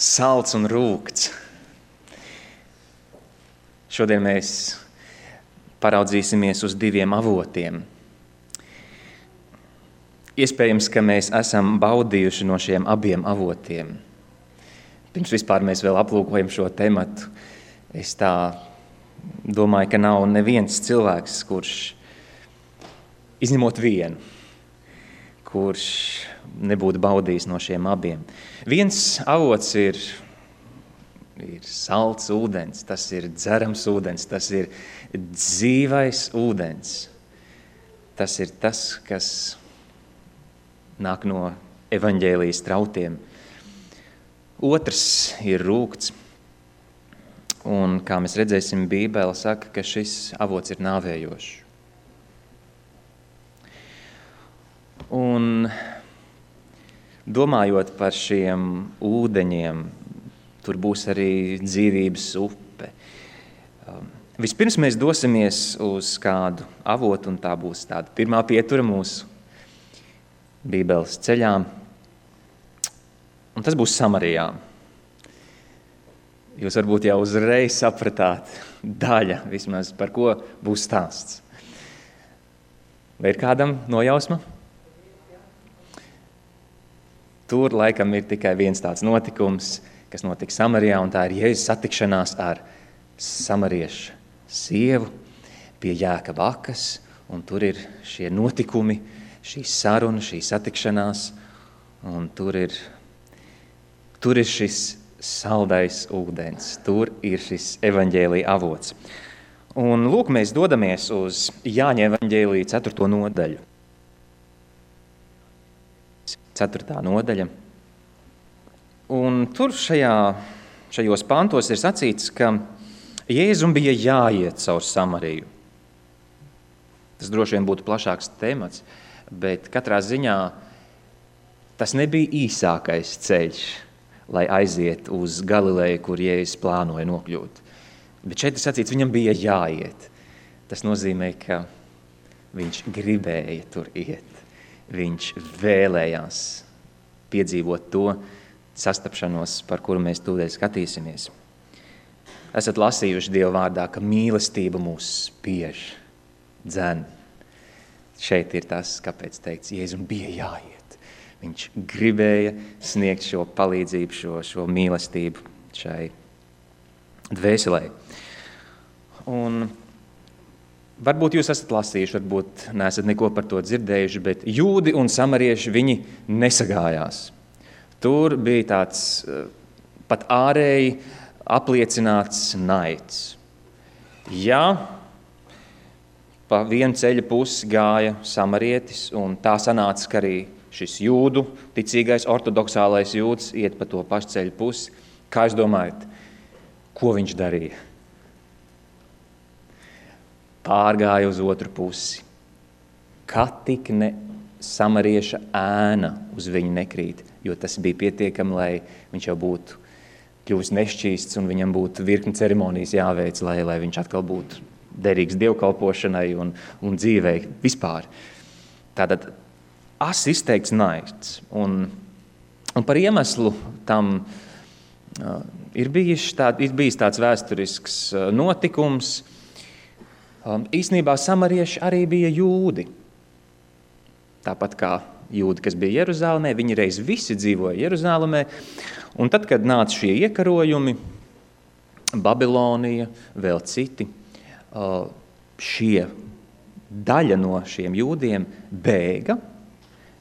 salds un rūgts. Šodien mēs paraudzīsimies uz diviem avotiem. Iespējams, ka mēs esam baudījuši no šiem abiem avotiem. Pirms vispār mēs vēl aplūkojam šo tematu, es tā domāju, ka nav neviens cilvēks, kurš, izņemot vienu, kurš nebūtu baudījis no šiem abiem. Viens avots ir salds ūdens, tas ir dzerams ūdens, tas ir dzīvais ūdens. Tas ir tas, kas nāk no evaņģēlijas trautiem. Otrs ir rūgts, un kā mēs redzēsim, Bībele saka, ka šis avots ir nāvējošs. Un domājot par šiem ūdeņiem, tur būs arī dzīvības upe. Vispirms mēs dosimies uz kādu avotu, un tā būs tāda pirmā pietura mūsu Bībeles ceļā. Un tas būs Samarijā. Jūs varbūt jau uzreiz sapratāt daļa, vismaz par ko būs stāsts. Vai ir kādam nojausma? Tur laikam ir tikai viens tāds notikums, kas notika Samarijā, un tā ir Jēzus satikšanās ar samariešu sievu pie Jēkaba akas, un tur ir šie notikumi, šī saruna, šī satikšanās, un tur ir šis saldais ūdens, tur ir šis evaņģēlija avots. Un lūk, mēs dodamies uz Jāņa evaņģēlija 4. nodaļu. 4. nodaļa. Un tur šajos pantos ir sacīts, ka Jēzum bija jāiet caur Samariju. Tas droši vien būtu plašāks temats, bet katrā ziņā tas nebija īsākais ceļš, lai aiziet uz Galileju, kur Jēzus plānoja nokļūt. Bet šeit ir sacīts, viņam bija jāiet. Tas nozīmē, ka viņš gribēja tur iet. Viņš vēlējās piedzīvot to sastapšanos, par kuru mēs tūlīt skatīsimies. Esat lasījuši Dieva vārdā, ka mīlestība mūs spiež, dzen. Šeit ir tas, kāpēc teikts, Jēzum bija jāiet. Viņš gribēja sniegt šo palīdzību, šo mīlestību šai dvēselē. Un varbūt jūs esat lasījuši, varbūt neesat neko par to dzirdējuši, bet jūdi un samarieši viņi nesagājās. Tur bija tāds pat ārēji apliecināts naids. Ja pa vienu ceļa pusi gāja samarietis, un tā sanāca, ka arī šis jūdu, ticīgais ortodoksālais jūds iet pa to pašu ceļa pusi, kā jūs domājat, ko viņš darīja? Pārgāja uz otru pusi. Kā tik ne samarieša ēna uz viņu nekrīt, jo tas bija pietiekami, lai viņš jau būtu kļuvis nešķīsts un viņam būtu virkni ceremonijas jāveic, lai viņš atkal būtu derīgs dievkalpošanai un dzīvei vispār. Tātad izteikts naids. Un par iemeslu tam ir bijis tāds vēsturisks notikums. Īsnībā samarieši arī bija jūdi. Tāpat kā jūdi, kas bija Jeruzālēmē, viņi reiz visi dzīvoja Jeruzālēmē. Un tad, kad nāca šie iekarojumi, Babilonija, vēl citi, šie daļa no šiem jūdiem bēga.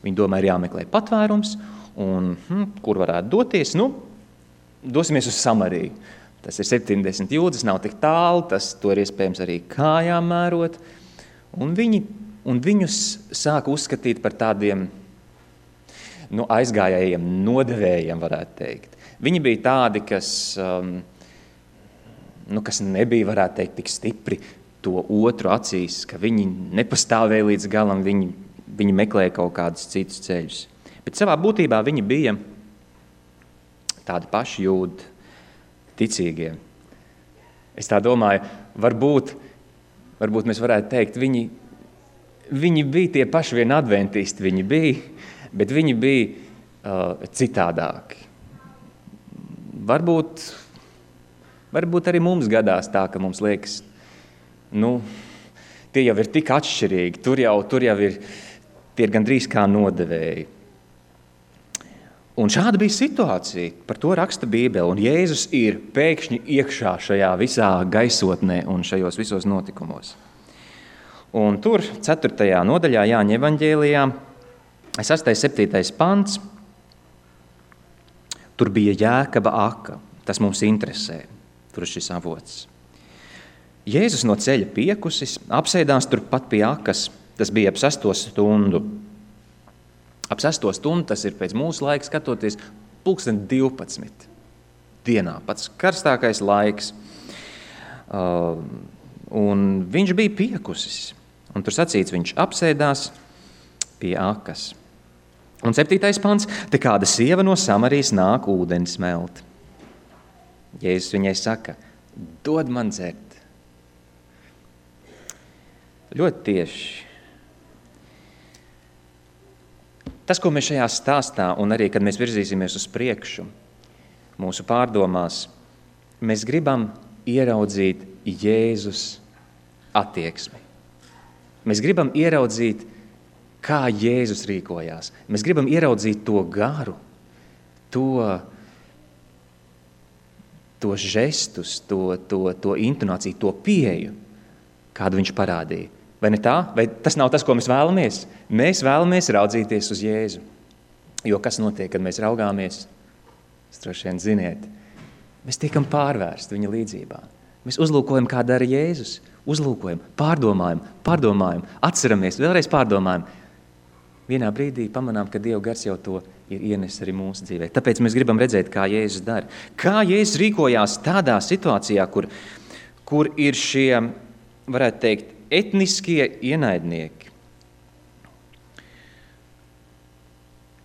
Viņi domā, ir jāmeklē patvērums, un kur varētu doties? Dosimies uz Samariju. Tas ir 70 jūdzes, nav tik tālu, to ir iespējams arī kājām mērot. Un viņus sāka uzskatīt par tādiem aizgājējiem nodevējiem, varētu teikt. Viņi bija tādi, kas nebija, varētu teikt, tik stipri to otru acīs, ka viņi nepastāvēja līdz galam, viņi meklēja kaut kādus citus ceļus. Bet savā būtībā viņi bija tādi paši jūdi, ticīgie. Es tā domāju, varbūt mēs varētu teikt, viņi bija tie paši vien adventisti, bet viņi bija citādāki. varbūt arī mums gadās tā, ka mums liekas, tie jau ir tik atšķirīgi, tur jau ir tie gandrīz kā nodevēji. Un šāda bija situācija, par to raksta Bībele, un Jēzus ir pēkšņi iekšā šajā visā gaisotnē un šajos visos notikumos. Un tur 4. nodaļā Jāņa evaņģēlijā, 6. 7. pants, tur bija Jēkaba aka, tas mums interesē, tur ir šis avots. Jēzus no ceļa piekusis, apsēdās turpat pie akas, tas bija ap 6. stundu. Ap 6. stundu, tas ir pēc mūsu laika skatoties, 12:00 dienā, pats karstākais laiks. Un viņš bija piekusis, un tur sacīts, viņš apsēdās pie akas. Un 7. pants, te kāda sieva no Samarijas nāk ūdeni smelt. Jēzus viņai saka, dod man dzert. Ļoti tieši. Tas, ko mēs šajā stāstā, un arī, kad mēs virzīsimies uz priekšu, mūsu pārdomās, mēs gribam ieraudzīt Jēzus attieksmi. Mēs gribam ieraudzīt, kā Jēzus rīkojās. Mēs gribam ieraudzīt to garu, to žestus, to intonāciju, to pieeju, kādu viņš parādīja. Vai ne tā? Vai tas nav tas, ko mēs vēlamies? Mēs vēlamies raudzīties uz Jēzu. Jo kas notiek, kad mēs raugāmies? Jūs droši vien ziniet. Mēs tiekam pārvērsti viņa līdzībā. Mēs uzlūkojam, kā dara Jēzus. Uzlūkojam, pārdomājam, atceramies, vēlreiz pārdomājam. Vienā brīdī pamanām, ka Dieva gars jau to ir ienes arī mūsu dzīvē. Tāpēc mēs gribam redzēt, kā Jēzus dara. Kā Jēzus rīkojās tādā situācijā, kur ir šie, varētu teikt, etniskie ienaidnieki.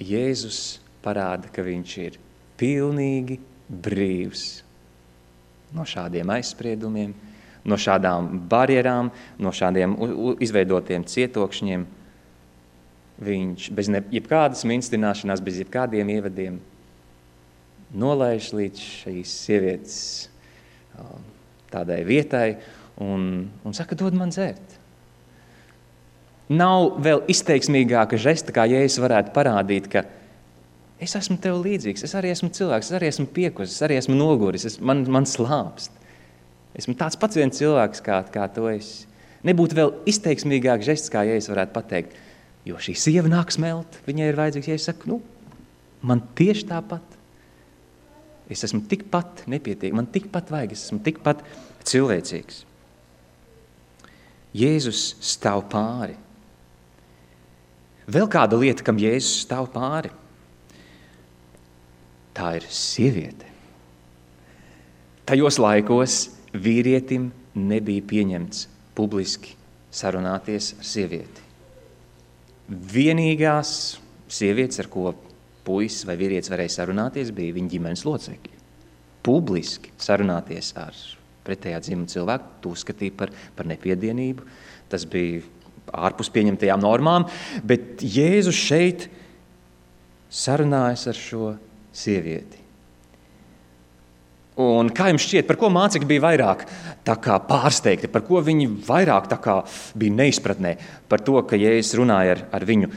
Jēzus parāda, ka viņš ir pilnīgi brīvs no šādiem aizspriedumiem, no šādām barjerām, no šādiem izveidotiem cietokšņiem. Viņš bez jebkādas minstināšanās, bez jebkādiem ievadiem nolaiž līdz šīs sievietes tādai vietai, un saka, dod man dzert. Nav vēl izteiksmīgāka žesta, kā Jēzus varētu parādīt, ka es esmu tev līdzīgs, es arī esmu cilvēks, es arī esmu piekusis, es arī esmu noguris, man slāpst. Esmu tāds pats viens cilvēks, kā tu esi. Nebūtu vēl izteiksmīgāk žests, kā Jēzus varētu pateikt, jo šī sieva nāk smelt, viņai ir vajadzīgs, Jēzus saka, man tieši tāpat. Es esmu tikpat nepietiek, man tikpat vajag, es esmu tikpat cilvēcīgs. Jēzus stāv pāri. Vēl kāda lieta, kam Jēzus stāv pāri, tā ir sieviete. Tajos laikos vīrietim nebija pieņemts publiski sarunāties ar sievieti. Vienīgās sievietes, ar ko puisis vai vīrietis varēja sarunāties, bija viņa ģimenes locekļi. Publiski sarunāties ar pretējā dzimuma cilvēku, to uzskatīja par nepiedienību. Tas bija ārpus pieņemtajām normām, bet Jēzus šeit sarunājas ar šo sievieti. Un kā jums šķiet, par ko mācekļi bija vairāk tā kā pārsteigti, par ko viņi vairāk tā kā bija neizpratnē, par to, ka Jēzus runāja ar viņu,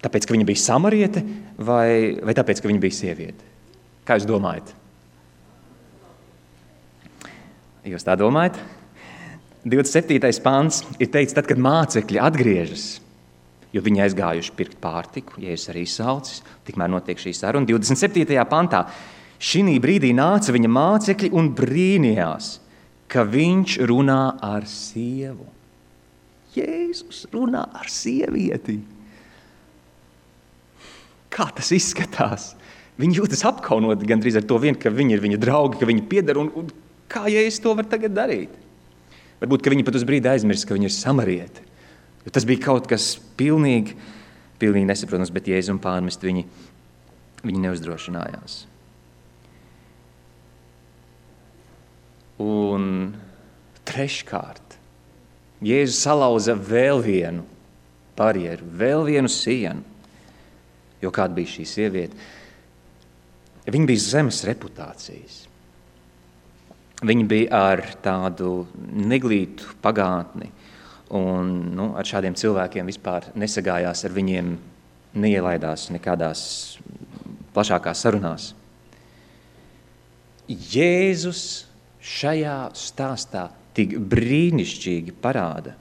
tāpēc, ka viņa bija samariete, vai tāpēc, ka viņa bija sieviete? Kā jūs domājat? Jūs tā domājat? 27. pants ir teicis, tad, kad mācekļi atgriežas, jo viņi aizgājuši pirkt pārtiku, Jēzus arī saucis, tikmēr notiek šī saruna. 27. pantā šī brīdī nāca viņa mācekļi un brīnījās, ka viņš runā ar sievu. Jēzus runā ar sievieti. Kā tas izskatās? Viņi jūtas apkaunoti gandrīz ar to vien, ka viņi ir viņa draugi, ka viņi pieder, un kā Jēzus to var tagad darīt? Varbūt, ka viņi pat uz brīdi aizmirst, ka viņi ir samarieti. Jo tas bija kaut kas pilnīgi nesaprotams, bet Jēzus un pārmest viņi neuzdrošinājās. Un treškārt, Jēzus salauza vēl vienu barjeru, vēl vienu sienu. Jo kāda bija šī sieviete? Viņi bija zemes reputācijas. Viņi bija ar tādu neglītu pagātni, un ar šādiem cilvēkiem vispār nesagājās, ar viņiem neielaidās nekādās plašākās sarunās. Jēzus šajā stāstā tik brīnišķīgi parāda,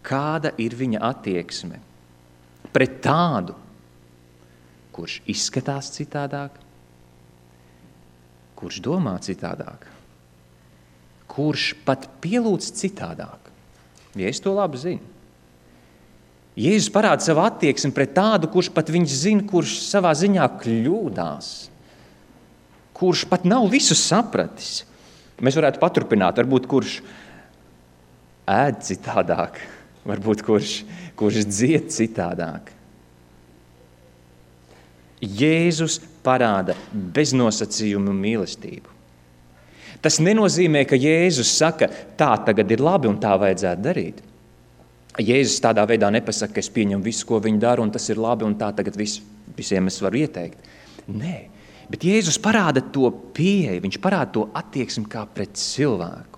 kāda ir viņa attieksme pret tādu, kurš izskatās citādāk, kurš domā citādāk, kurš pat pielūdz citādāk. Ja es to labi zinu. Jēzus parāda savu attieksmi pret tādu, kurš pat viņš zina, kurš savā ziņā kļūdās, kurš pat nav visu sapratis. Mēs varētu paturpināt, varbūt kurš ēd citādāk, varbūt kurš dzied citādāk. Jēzus parāda beznosacījumu mīlestību. Tas nenozīmē, ka Jēzus saka, tā tagad ir labi un tā vajadzētu darīt. Jēzus tādā veidā nepasaka, ka es pieņemu visu, ko viņi dara, un tas ir labi, un tā tagad visiem es varu ieteikt. Nē, bet Jēzus parāda to pieeju, viņš parāda to attieksmi kā pret cilvēku.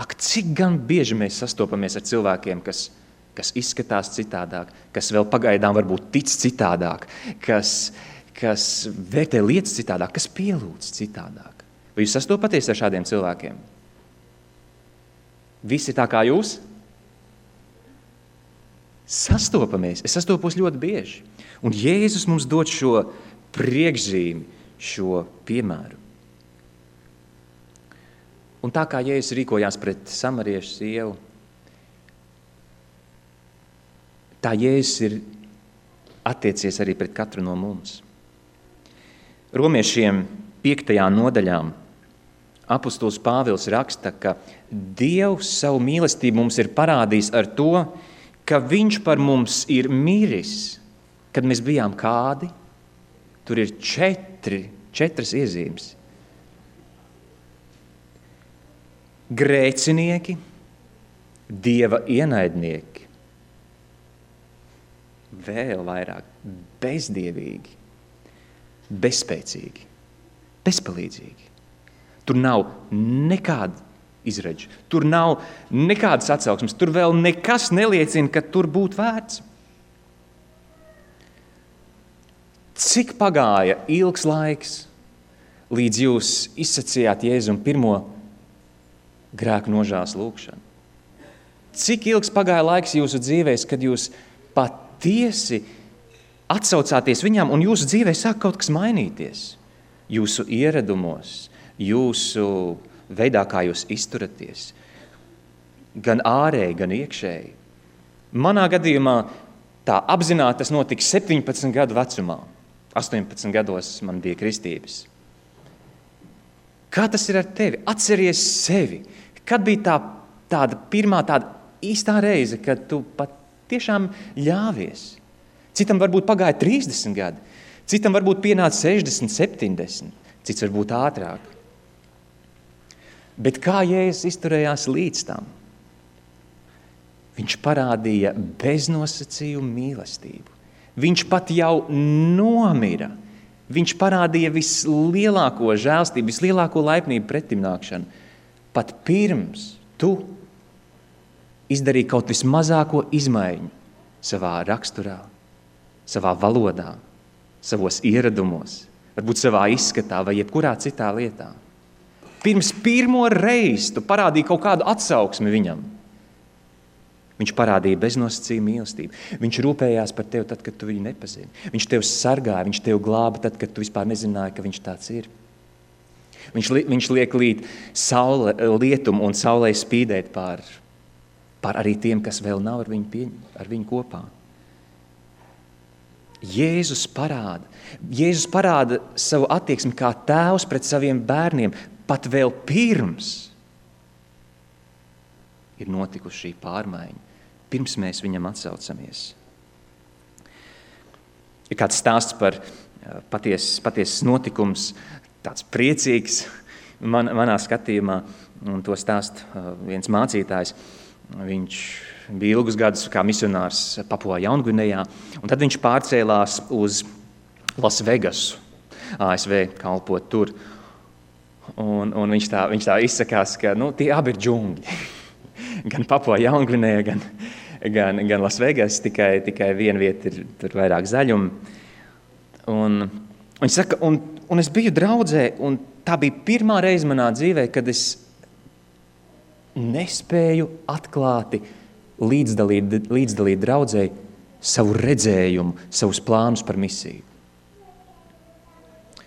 Ak, cik gan bieži mēs sastopamies ar cilvēkiem, kas izskatās citādāk, kas vēl pagaidām varbūt tic citādāk, kas vērtē lietas citādāk, kas pielūdz citādāk. Vai jūs sastopaties ar šādiem cilvēkiem? Visi tā kā jūs? Sastopamies. Es sastopos ļoti bieži. Un Jēzus mums dod šo priekšzīmi, šo piemēru. Un tā kā Jēzus rīkojās pret samariešu sievu, tā Jēzus ir attiecies arī pret katru no mums. Romiešiem 5. nodaļā apostols Pāvils raksta, ka Dievs savu mīlestību mums ir parādījis ar to, ka viņš par mums ir miris, kad mēs bijām kādi. Tur ir četras iezīmes. Grēcinieki, Dieva ienaidnieki, vēl vairāk bezdievīgi, bezspēcīgi, bezpalīdzīgi. Tur nav nekāda izredža, tur nav nekādas atsauksmes, tur vēl nekas neliecina, ka tur būtu vērts. Cik pagāja ilgs laiks, līdz jūs izsacījāt Jēzum pirmo grēku nožēlas lūgšanu? Cik ilgs pagāja laiks jūsu dzīvēs, kad jūs patiesi atsaucāties viņām un jūsu dzīvē sāk kaut kas mainīties? Jūsu ieradumos, jūsu veidā, kā jūs izturaties, gan ārēji, gan iekšēji. Manā gadījumā tā apzināti tas notika 17 gadu vecumā. 18 gados man bija kristības. Kā tas ir ar tevi? Atceries sevi. Kad bija tāda pirmā tāda īstā reize, kad tu pat tiešām ļāvies? Citam varbūt pagāja 30 gadi, citam varbūt pienāca 60, 70, cits varbūt ātrāk. Bet kā Jēzus izturējās līdz tam? Viņš parādīja beznosacījumu mīlestību. Viņš pat jau nomira. Viņš parādīja vislielāko žēlstību, vislielāko laipnību pretimnākšanu. Pat pirms tu izdarīji kaut vismazāko izmaiņu savā raksturā, savā valodā, savos ieradumos, varbūt savā izskatā vai jebkurā citā lietā. Pirms pirmo reizi tu parādīji kaut kādu atsauksmi viņam. Viņš parādīja beznosacījumu mīlestību. Viņš rūpējās par tevi tad, kad tu viņu nepazini. Viņš tevi sargāja, viņš tevi glāba tad, kad tu vispār nezināji, ka viņš tāds ir. Viņš liek līdz lietumu un saulei spīdēt pār arī tiem, kas vēl nav ar viņu kopā. Jēzus parāda savu attieksmi kā tēvs pret saviem bērniem, pat vēl pirms ir notikusi šī pārmaiņa, pirms mēs viņam atsaucamies. Ir kāds stāsts par patiesas notikums, tāds priecīgs manā skatījumā, un to stāst viens mācītājs. Viņš bija ilgus gadus kā misionārs Papua Jaungvinejā, un tad viņš pārcēlās uz Lasvegasu, ASV, kalpot tur. Un viņš tā izsakās, ka tie abi ir džungļi. Gan Papua Jaungvinēja, gan Lasvegas, tikai viena vieta ir tur vairāk zaļuma. Un viņš saka, un es biju draudzē, un tā bija pirmā reize manā dzīvē, kad es nespēju atklāti līdzdalīt draudzē savu redzējumu, savus plānus par misiju.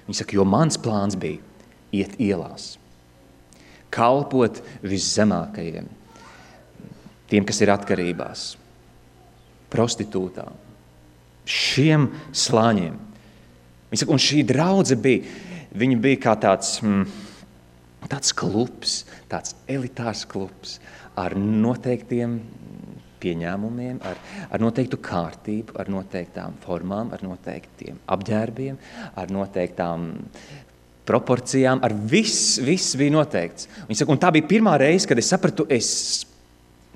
Viņš saka, jo mans plāns bija iet ielās, kalpot viszemākajiem, tiem, kas ir atkarībās, prostitūtām, šiem slāņiem. Viņš saka, un šī draudze bija kā tāds klubs, tāds elitārs klubs ar noteiktiem pieņēmumiem, ar noteiktu kārtību, ar noteiktām formām, ar noteiktiem apģērbiem, ar noteiktām proporcijām, ar viss bija noteikts. Viņš saka, un tā bija pirmā reize, kad es sapratu, es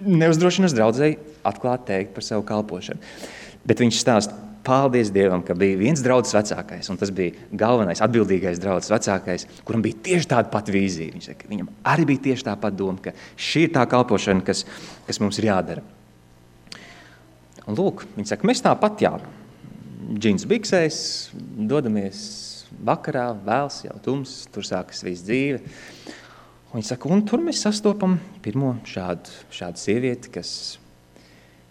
neuzdrošinos draudzei atklāt teikt par savu kalpošanu. Bet viņš stāsta, paldies Dievam, ka bija viens draudzes vecākais, un tas bija galvenais, atbildīgais draudzes vecākais, kuram bija tieši tāda pat vīzija. Viņš saka, viņam arī bija tieši tā pat doma, ka šī ir tā kalpošana, kas mums ir jādara. Un lūk, viņš saka, mēs tāpat džins biksēs, dodamies vakarā, vēls, jau tums, tur sākas viss dzīve. Un viņš saka, un tur mēs sastopam pirmo šādu sievieti,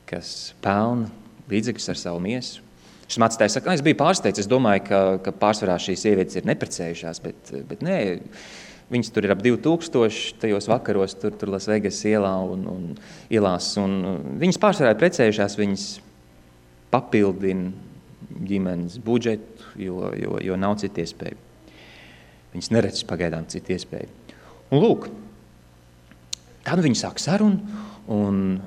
kas pelna līdzekļus ar savu miesu. Šis mācītājs saka, es biju pārsteigts, es domāju, ka pārsvarā šīs sievietes ir neprecējušās, bet nē, viņas tur ir ap 2000 tajos vakaros, tur Lasvegas ielās, un viņas pārsvarā ir precējušās, viņas papildina ģimenes budžetu, jo nav citu iespēju. Viņas neredz pagaidām citu iespēju. Un lūk, tad viņi sāk sarunu, un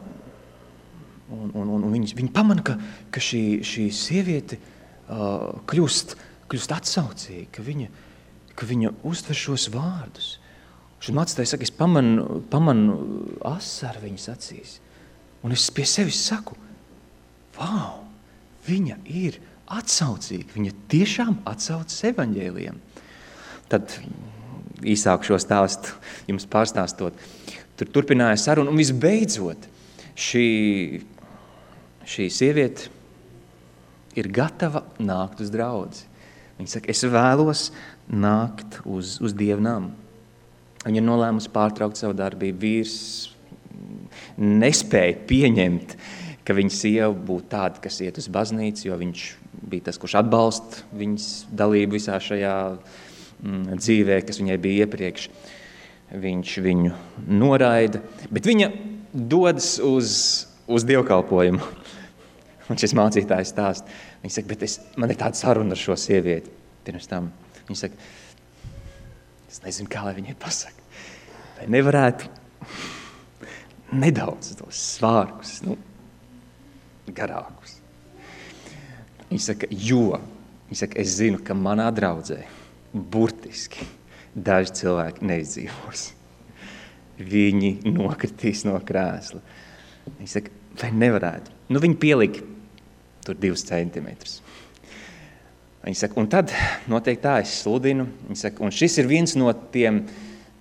viņi pamana, ka šī sieviete kļūst atsaucīga, ka viņa uztver šos vārdus. Šis mācītājs saka, es pamanu asaru viņas acīs, un es pie sevis saku, vau, viņa ir atsaucīga, viņa tiešām atsaucas evaņģēlijam. Tad īsāk šo stāstu jums pārstāstot, tur turpināja sarunu, un visbeidzot šī sieviete ir gatava nākt uz draudzi. Viņa saka, es vēlos nākt uz dievnām. Viņa ir nolēmusi pārtraukt savu darbību. Vīrs nespēja pieņemt, ka viņa sieva būtu tāda, kas iet uz baznīcu, jo viņš bija tas, kurš atbalsta viņas dalību visā šajā dzīvē, kas viņai bija iepriekš. Viņš viņu noraida, bet viņa dodas uz dievkalpojumu. Un šis mācītājs stāsta, viņš saka, bet man ir tāda saruna ar šo sievieti. Pirms tam viņš saka, es nezinu, kā lai viņai pasaka. Vai nevarētu nedaudz tos svārkus, garākus. Viņš saka, es zinu, ka manā draudzē burtiski daži cilvēki neizdzīvos. Viņi nokritīs no krēsla. Viņš saka, vai nevarētu? Viņi pielika tur 2 centimetrus. Viņš saka, un tad noteikti tā es sludinu. Viņš saka, un šis ir viens no tiem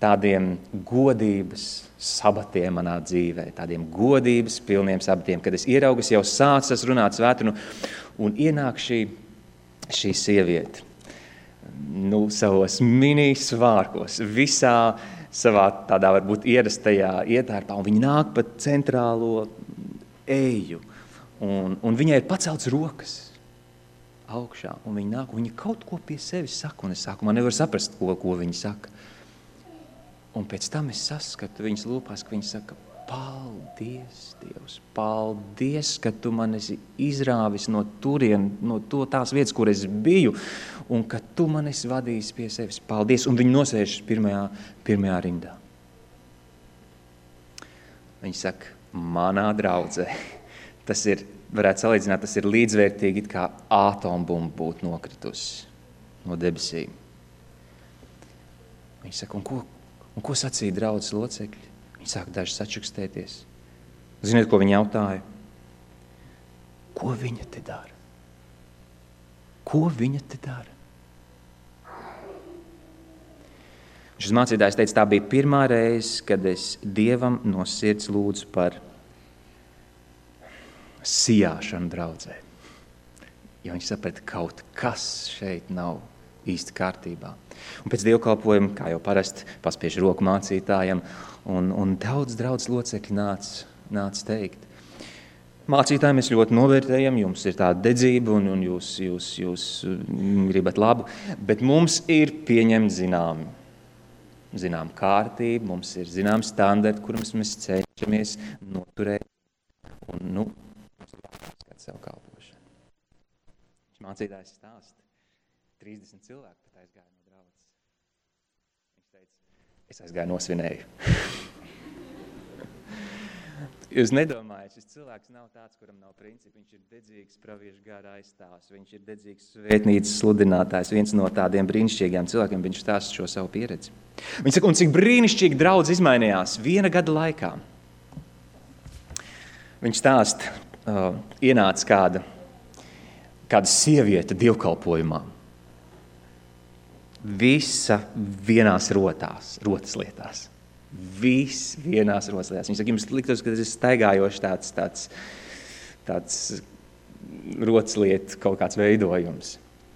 tādiem godības sabatiem manā dzīvē, tādiem godības pilniem sabatiem, kad es ieraugu, jau sācis runāt svētunu, un ienāk šī sieviete, savos mini svārkos, visā savā tādā varbūt ierastajā ietērpā, un viņa nāk pa centrālo eju, un viņai ir pacelts rokas augšā, un viņa nāk, un viņa kaut ko pie sevis saka, un es sākumā nevaru saprast, ko viņa saka. Un pēc tam es saskatu viņas lūpās, ka viņa saka, paldies, Dievs, paldies, ka tu man esi izrāvis no tās vietas, kur es biju, un ka tu man esi vadījis pie sevis. Paldies, un viņa nosēžas pirmajā rindā. Viņa saka, manā draudzē, tas ir, varētu salīdzināt, tas ir līdzvērtīgi, kā atombumba būtu nokritusi no debesīm. Viņa saka, un ko sacīja draudzes locekļi? Viņi sāk daži sačukstēties. Ziniet, ko viņi jautāja? Ko viņa te dara? Ko viņa te dara? Šis mācītājs teica, tā bija pirmā reize, kad es Dievam no sirds lūdzu par sijāšanu draudzē. Jo viņš saprata, kaut kas šeit nav īsti kārtībā. Un pēc dievkalpojuma, kā jau parasti, paspiež roku mācītājam, un daudz draudzes locekļi nāca teikt. Mācītāji, mēs ļoti novērtējam, jums ir tāda dedzība un jūs gribat labu, bet mums ir pieņemt zinām kārtību, mums ir zinām standarti, kurus mēs cenšamies noturēt, un, mums ir jāskatās savu kalpošanu. Mācītājs stāsta, 30 cilvēku pat aizgāja no draudzes. Viņš teica, es aizgāju nosvinēju. Jūs nedomājat, šis cilvēks nav tāds, kuram nav principi. Viņš ir dedzīgs praviešu gara aizstāvs, viņš ir dedzīgs svētnīcas sludinātājs, viens no tādiem brīnišķīgiem cilvēkiem, viņš stāsta šo savu pieredzi. Viņš saka, un cik brīnišķīgi draudz izmainījās 1 gada laikā. Viņš stāsta, ienāca kāda sieviete dievkalpojumā. Visa vienās rotas lietās. Viss vienās rotaslētās. Viņš saka, jums liktos, ka tas ir staigājoši tāds rotaslietu kaut kāds veidojums.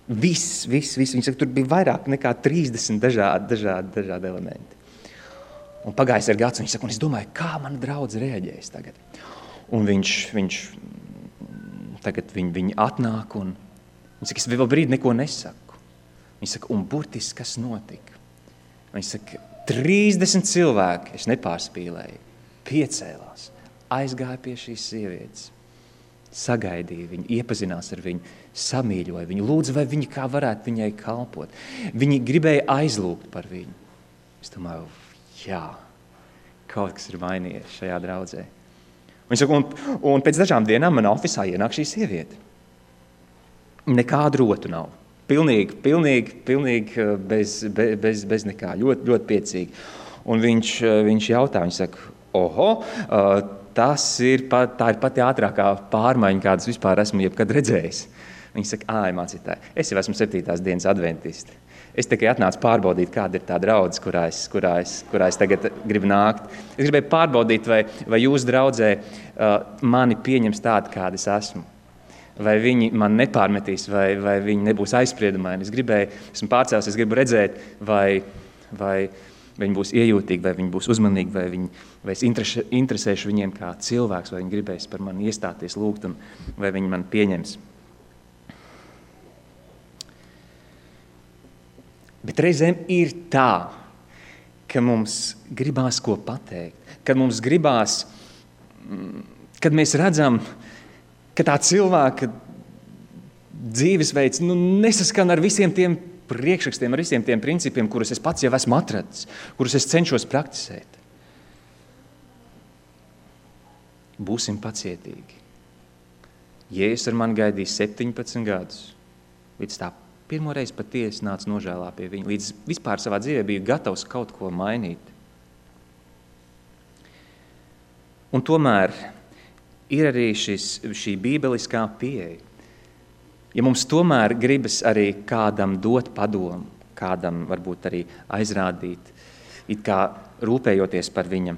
Viss. Viņš saka, tur bija vairāk nekā 30 dažādi elementi. Un pagājis ir gads, un viņš saka, un es domāju, kā mana draudze reaģēs tagad. Un viņš tagad viņi atnāk, un viņš saka, es vēl brīdi neko nesaku. Viņš saka, un burtiski kas notika? Viņš saka, 30 cilvēki, es nepārspīlēju, piecēlās, aizgāja pie šīs sievietes, sagaidīja viņu, iepazinās ar viņu, samīļoja viņu, lūdza, vai viņi kā varētu viņai kalpot. Viņi gribēja aizlūgt par viņu. Es domāju, jā, kaut kas ir mainījies šajā draudzē. Viņš saka, un pēc dažām dienām manā ofisā ienāk šī sieviete. Nekādu rotu nav. Pilnīgi bez nekā, ļoti piecīgi. Un viņš jautā, viņš saka, tā ir pati ātrākā pārmaiņa, kādas vispār esmu jebkad redzējis. Viņš saka, mācītāji, es jau esmu 7. dienas adventisti. Es tikai atnācu pārbaudīt, kāda ir tā draudze, kurā es tagad gribu nākt. Es gribēju pārbaudīt, vai jūs draudzē mani pieņems tādu, kāda es esmu. Vai viņi man nepārmetīs, vai viņi nebūs aizspriedumaini. Esmu pārcēlis, es gribu redzēt, vai viņi būs iejūtīgi, vai viņi būs uzmanīgi, vai es interesēšu viņiem kā cilvēks, vai viņi gribēs par mani iestāties, lūgt, un vai viņi man pieņems. Bet reizēm ir tā, ka mums gribās ko pateikt, kad mums gribās, kad mēs redzam, ka tā cilvēka dzīvesveids nesaskan ar visiem tiem priekšrakstiem, ar visiem tiem principiem, kurus es pats jau esmu atradis, kurus es cenšos praktisēt. Būsim pacietīgi. Jēzus ar mani gaidīja 17 gadus, līdz tā pirmoreiz patiesi nāca nožēlā pie viņa, līdz vispār savā dzīvē bija gatavs kaut ko mainīt. Un tomēr ir arī šī bībeliskā pieeja. Ja mums tomēr gribas arī kādam dot padomu, kādam varbūt arī aizrādīt, it kā rūpējoties par viņa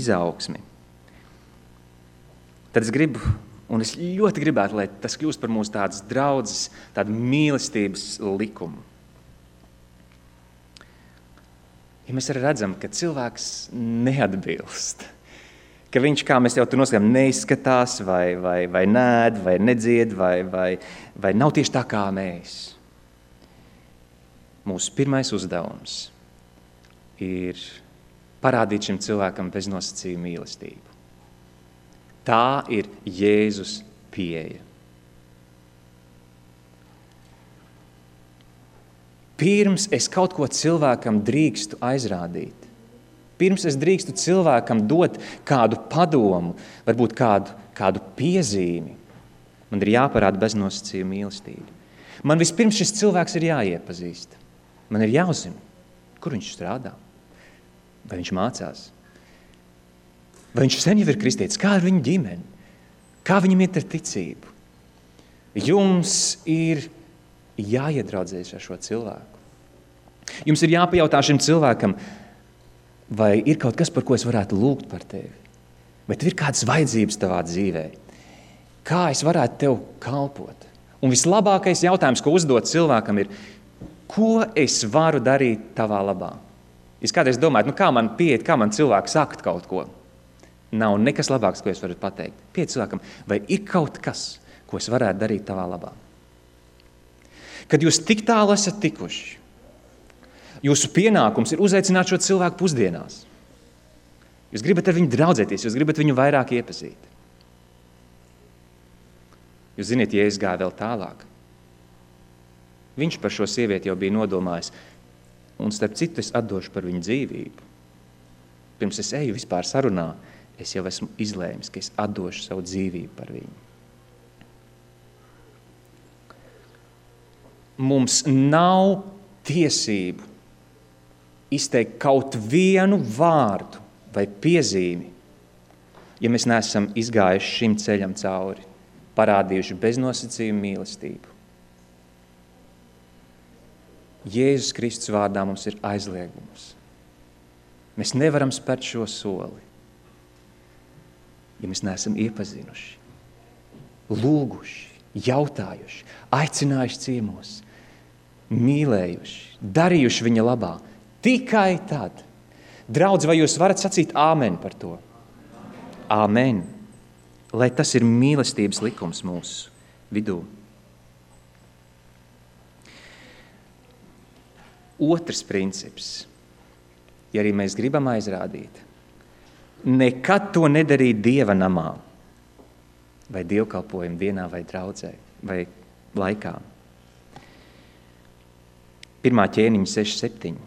izaugsmi, tad es gribu, un es ļoti gribētu, lai tas kļūst par mūsu tādas draudzes, tādu mīlestības likumu. Ja mēs arī redzam, ka cilvēks neatbilst, ka viņš, kā mēs jau tur noskatām, neizskatās, vai nēd, vai nedzied, vai nav tieši tā kā mēs. Mūsu pirmais uzdevums ir parādīt šim cilvēkam beznosacījumu mīlestību. Tā ir Jēzus pieeja. Pirms es kaut ko cilvēkam drīkstu aizrādīt, pirms es drīkstu cilvēkam dot kādu padomu, varbūt kādu piezīmi, man ir jāparāda beznosacījuma mīlestība. Man vispirms šis cilvēks ir jāiepazīst. Man ir jāuzzina, kur viņš strādā, vai viņš mācās, vai viņš sen jau ir kristietis, kā ir viņa ģimene, kā viņam iet ar ticību. Jums ir jāiedraudzējas ar šo cilvēku. Jums ir jāpajautā šim cilvēkam, vai ir kaut kas, par ko es varētu lūgt par tevi? Vai tev ir kādas vajadzības tavā dzīvē? Kā es varētu tev kalpot? Un vislabākais jautājums, ko uzdot cilvēkam, ir, ko es varu darīt tavā labā? Es kādreiz domāju, kā man pieiet, kā man cilvēks sakt kaut ko. Nav nekas labāks, ko es varu pateikt. Pieiet cilvēkam, vai ir kaut kas, ko es varētu darīt tavā labā? Kad jūs tik tālu esat tikuši, jūsu pienākums ir uzaicināt šo cilvēku pusdienās. Jūs gribat ar viņu draudzēties, jūs gribat viņu vairāk iepazīt. Jūs ziniet, Jēzus gāja vēl tālāk. Viņš par šo sievieti jau bija nodomājis, un starp citu es atdošu par viņu dzīvību. Pirms es eju vispār sarunā, es jau esmu izlēmis, ka es atdošu savu dzīvību par viņu. Mums nav tiesību izteikt kaut vienu vārdu vai piezīmi, ja mēs neesam izgājuši šim ceļam cauri, parādījuši beznosacījumu mīlestību. Jēzus Kristus vārdā mums ir aizliegums. Mēs nevaram spērt šo soli, ja mēs neesam iepazinuši, lūguši, jautājuši, aicinājuši ciemos, mīlējuši, darījuši viņa labā. Tikai tad. Draudz, vai jūs varat sacīt āmen par to? Āmen. Lai tas ir mīlestības likums mūsu vidū. Otrs princips, ja arī mēs gribam aizrādīt, nekad to nedarīt Dieva namā vai dievkalpojuma dienā vai draudzē vai laikā. 1. ķēniņa 6:7.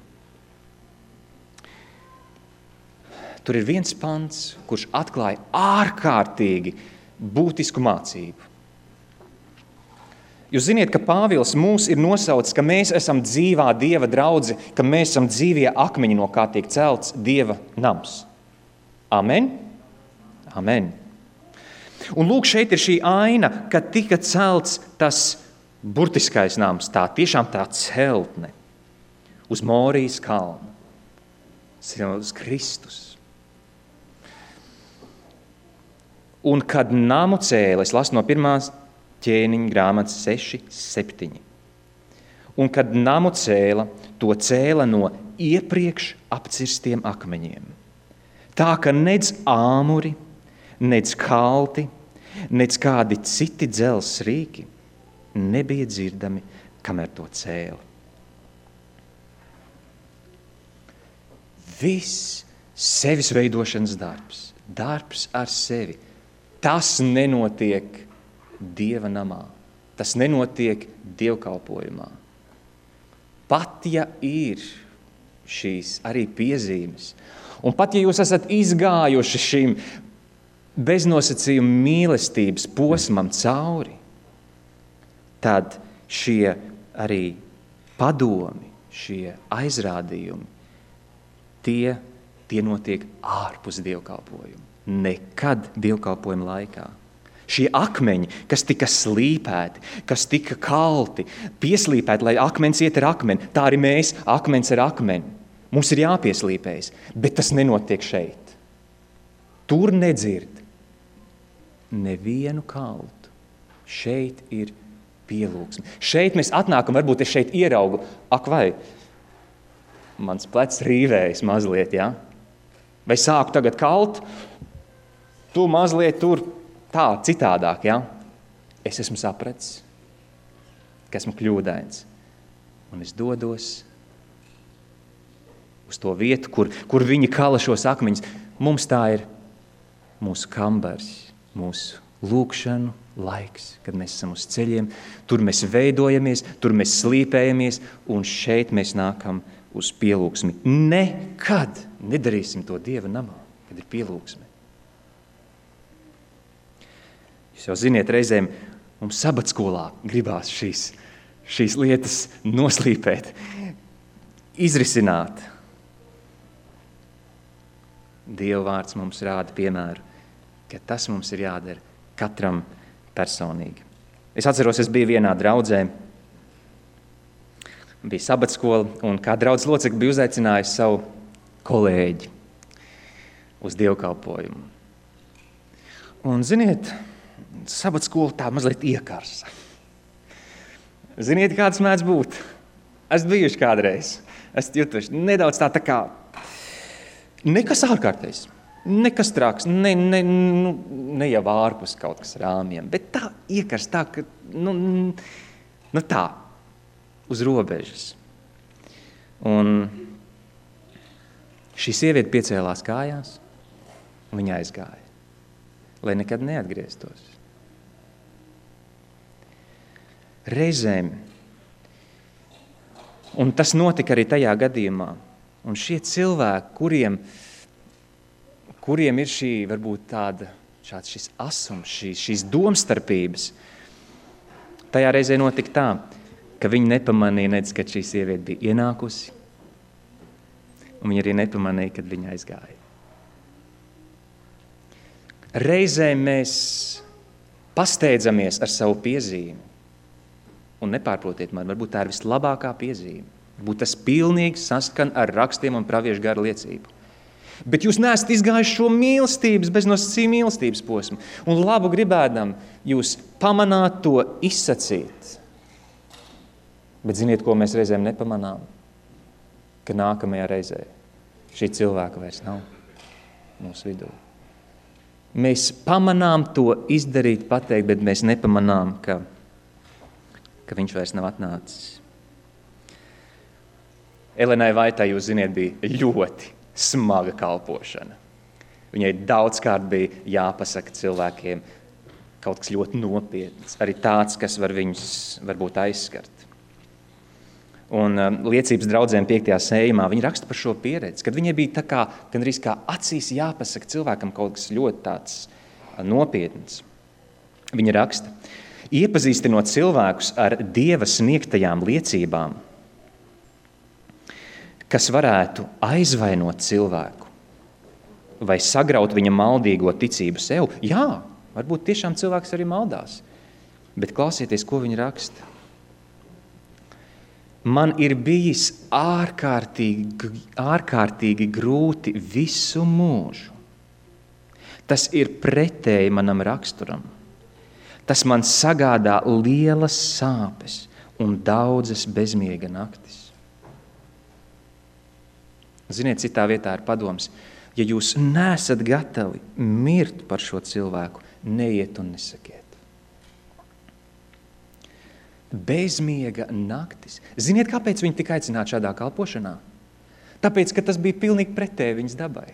Tur ir viens pants, kurš atklāja ārkārtīgi būtisku mācību. Jūs ziniet, ka Pāvils mūs ir nosaucis, ka mēs esam dzīvā Dieva draudze, ka mēs esam dzīvie akmeņi, no kā tiek celts Dieva nams. Amen? Amen. Un lūk, šeit ir šī aina, kad tika celts tas burtiskais nams, tā tiešām tā celtne uz Morijas kalnu, uz Kristus. Un kad namu cēla, es lasu no 1. ķēniņa grāmatas 6:7. Un kad namu cēla, to cēla no iepriekš apcirstiem akmeņiem. Tā, ka nedz āmuri, nedz kalti, nedz kādi citi dzelzs rīki nebija dzirdami, kamēr to cēla. Viss sevis veidošanas darbs ar sevi, tas nenotiek Dieva namā. Tas nenotiek dievkalpojumā. Pat ja ir šīs arī piezīmes, un pat ja jūs esat izgājuši šim beznosacījuma mīlestības posmam cauri, tad šie arī padomi, šie aizrādījumi, tie notiek ārpus dievkalpojuma. Nekad dievkalpojuma laikā. Šie akmeņi, kas tika slīpēti, kas tika kalti, pieslīpēti, lai akmens iet ar akmeni, tā arī mēs, akmens ar akmeni. Mums ir jāpieslīpējas, bet tas nenotiek šeit. Tur nedzird nevienu kaltu. Šeit ir pielūgsme. Šeit mēs atnākam, varbūt es šeit ieraugu, ak vai, mans plecs rīvējas mazliet, ja? Vai sāku tagad kalt, tu mazliet tur tā, citādāk, ja? Es esmu sapratis, ka esmu kļūdains, un es dodos uz to vietu, kur viņi kala šos akmeņus. Mums tā ir mūsu kambars, mūsu lūkšanu laiks, kad mēs esam uz ceļiem, tur mēs veidojamies, tur mēs slīpējamies, un šeit mēs nākam uz pielūgsmi. Nekad nedarīsim to Dieva namā, kad ir pielūgsme. Jūs jau ziniet, reizēm mums sabatskolā gribās šīs lietas noslīpēt, izrisināt. Dieva vārds mums rāda piemēru, ka tas mums ir jādara katram personīgi. Es atceros, es biju vienā draudzē, bija sabatskola, un kā draudzes locekļi bija uzaicinājusi savu kolēģi uz dievkalpojumu. Un, ziniet, sabatskola tā mazliet iekarsa. Ziniet, kāds mēdz būt? Esmu bijuši kādreiz. Esmu jutuši nedaudz tā kā nekas ārkārtējs, nekas traks, ne jau ārpus kaut kas rāmjiem, bet tā iekars tā, ka, tā, uz robežas. Un šī sieviete piecēlās kājās, un viņa aizgāja, lai nekad neatgrieztos. Reizēm, un tas notika arī tajā gadījumā, un šie cilvēki, kuriem ir šī, varbūt šāds šis asums, šīs domstarpības, tajā reizē notika tā, ka viņi nepamanīja, nedz, kad šī sieviete bija ienākusi, un viņi arī nepamanīja, kad viņa aizgāja. Reizēm mēs pasteidzamies ar savu piezīmi, un nepārprotiet man, varbūt tā ir vislabākā piezīme. Varbūt tas pilnīgi saskan ar rakstiem un praviešu garu liecību. Bet jūs neesat izgājuši šo mīlestības, beznosacījuma mīlestības posmu. Un labu gribēdam, jūs pamanāt to izsacīt. Bet ziniet, ko mēs reizēm nepamanām? Ka nākamajā reizē šī cilvēka vairs nav mūsu vidū. Mēs pamanām to izdarīt, pateikt, bet mēs nepamanām, ka viņš vairs nav atnācis. Elenai Vaitai, jūs ziniet, bija ļoti smaga kalpošana. Viņai daudzkārt bija jāpasaka cilvēkiem kaut kas ļoti nopietns, arī tāds, kas var viņus varbūt aizskart. Un liecības draudzēm 5. sējumā viņi raksta par šo pieredzi, kad viņai bija gandrīz kā acīs jāpasaka cilvēkam kaut kas ļoti tāds nopietns. Viņa raksta: iepazīstinot cilvēkus ar Dieva sniegtajām liecībām, kas varētu aizvainot cilvēku vai sagraut viņa maldīgo ticību sev. Jā, varbūt tiešām cilvēks arī maldās, bet klausieties, ko viņa raksta. Man ir bijis ārkārtīgi grūti visu mūžu. Tas ir pretēji manam raksturam. Tas man sagādā lielas sāpes un daudzas bezmiega naktis. Ziniet, citā vietā ir padoms, ja jūs neesat gatavi mirt par šo cilvēku, neiet un nesakiet. Bezmiega naktis. Ziniet, kāpēc viņi tika aicināti šādā kalpošanā? Tāpēc, ka tas bija pilnīgi pretēji viņas dabai.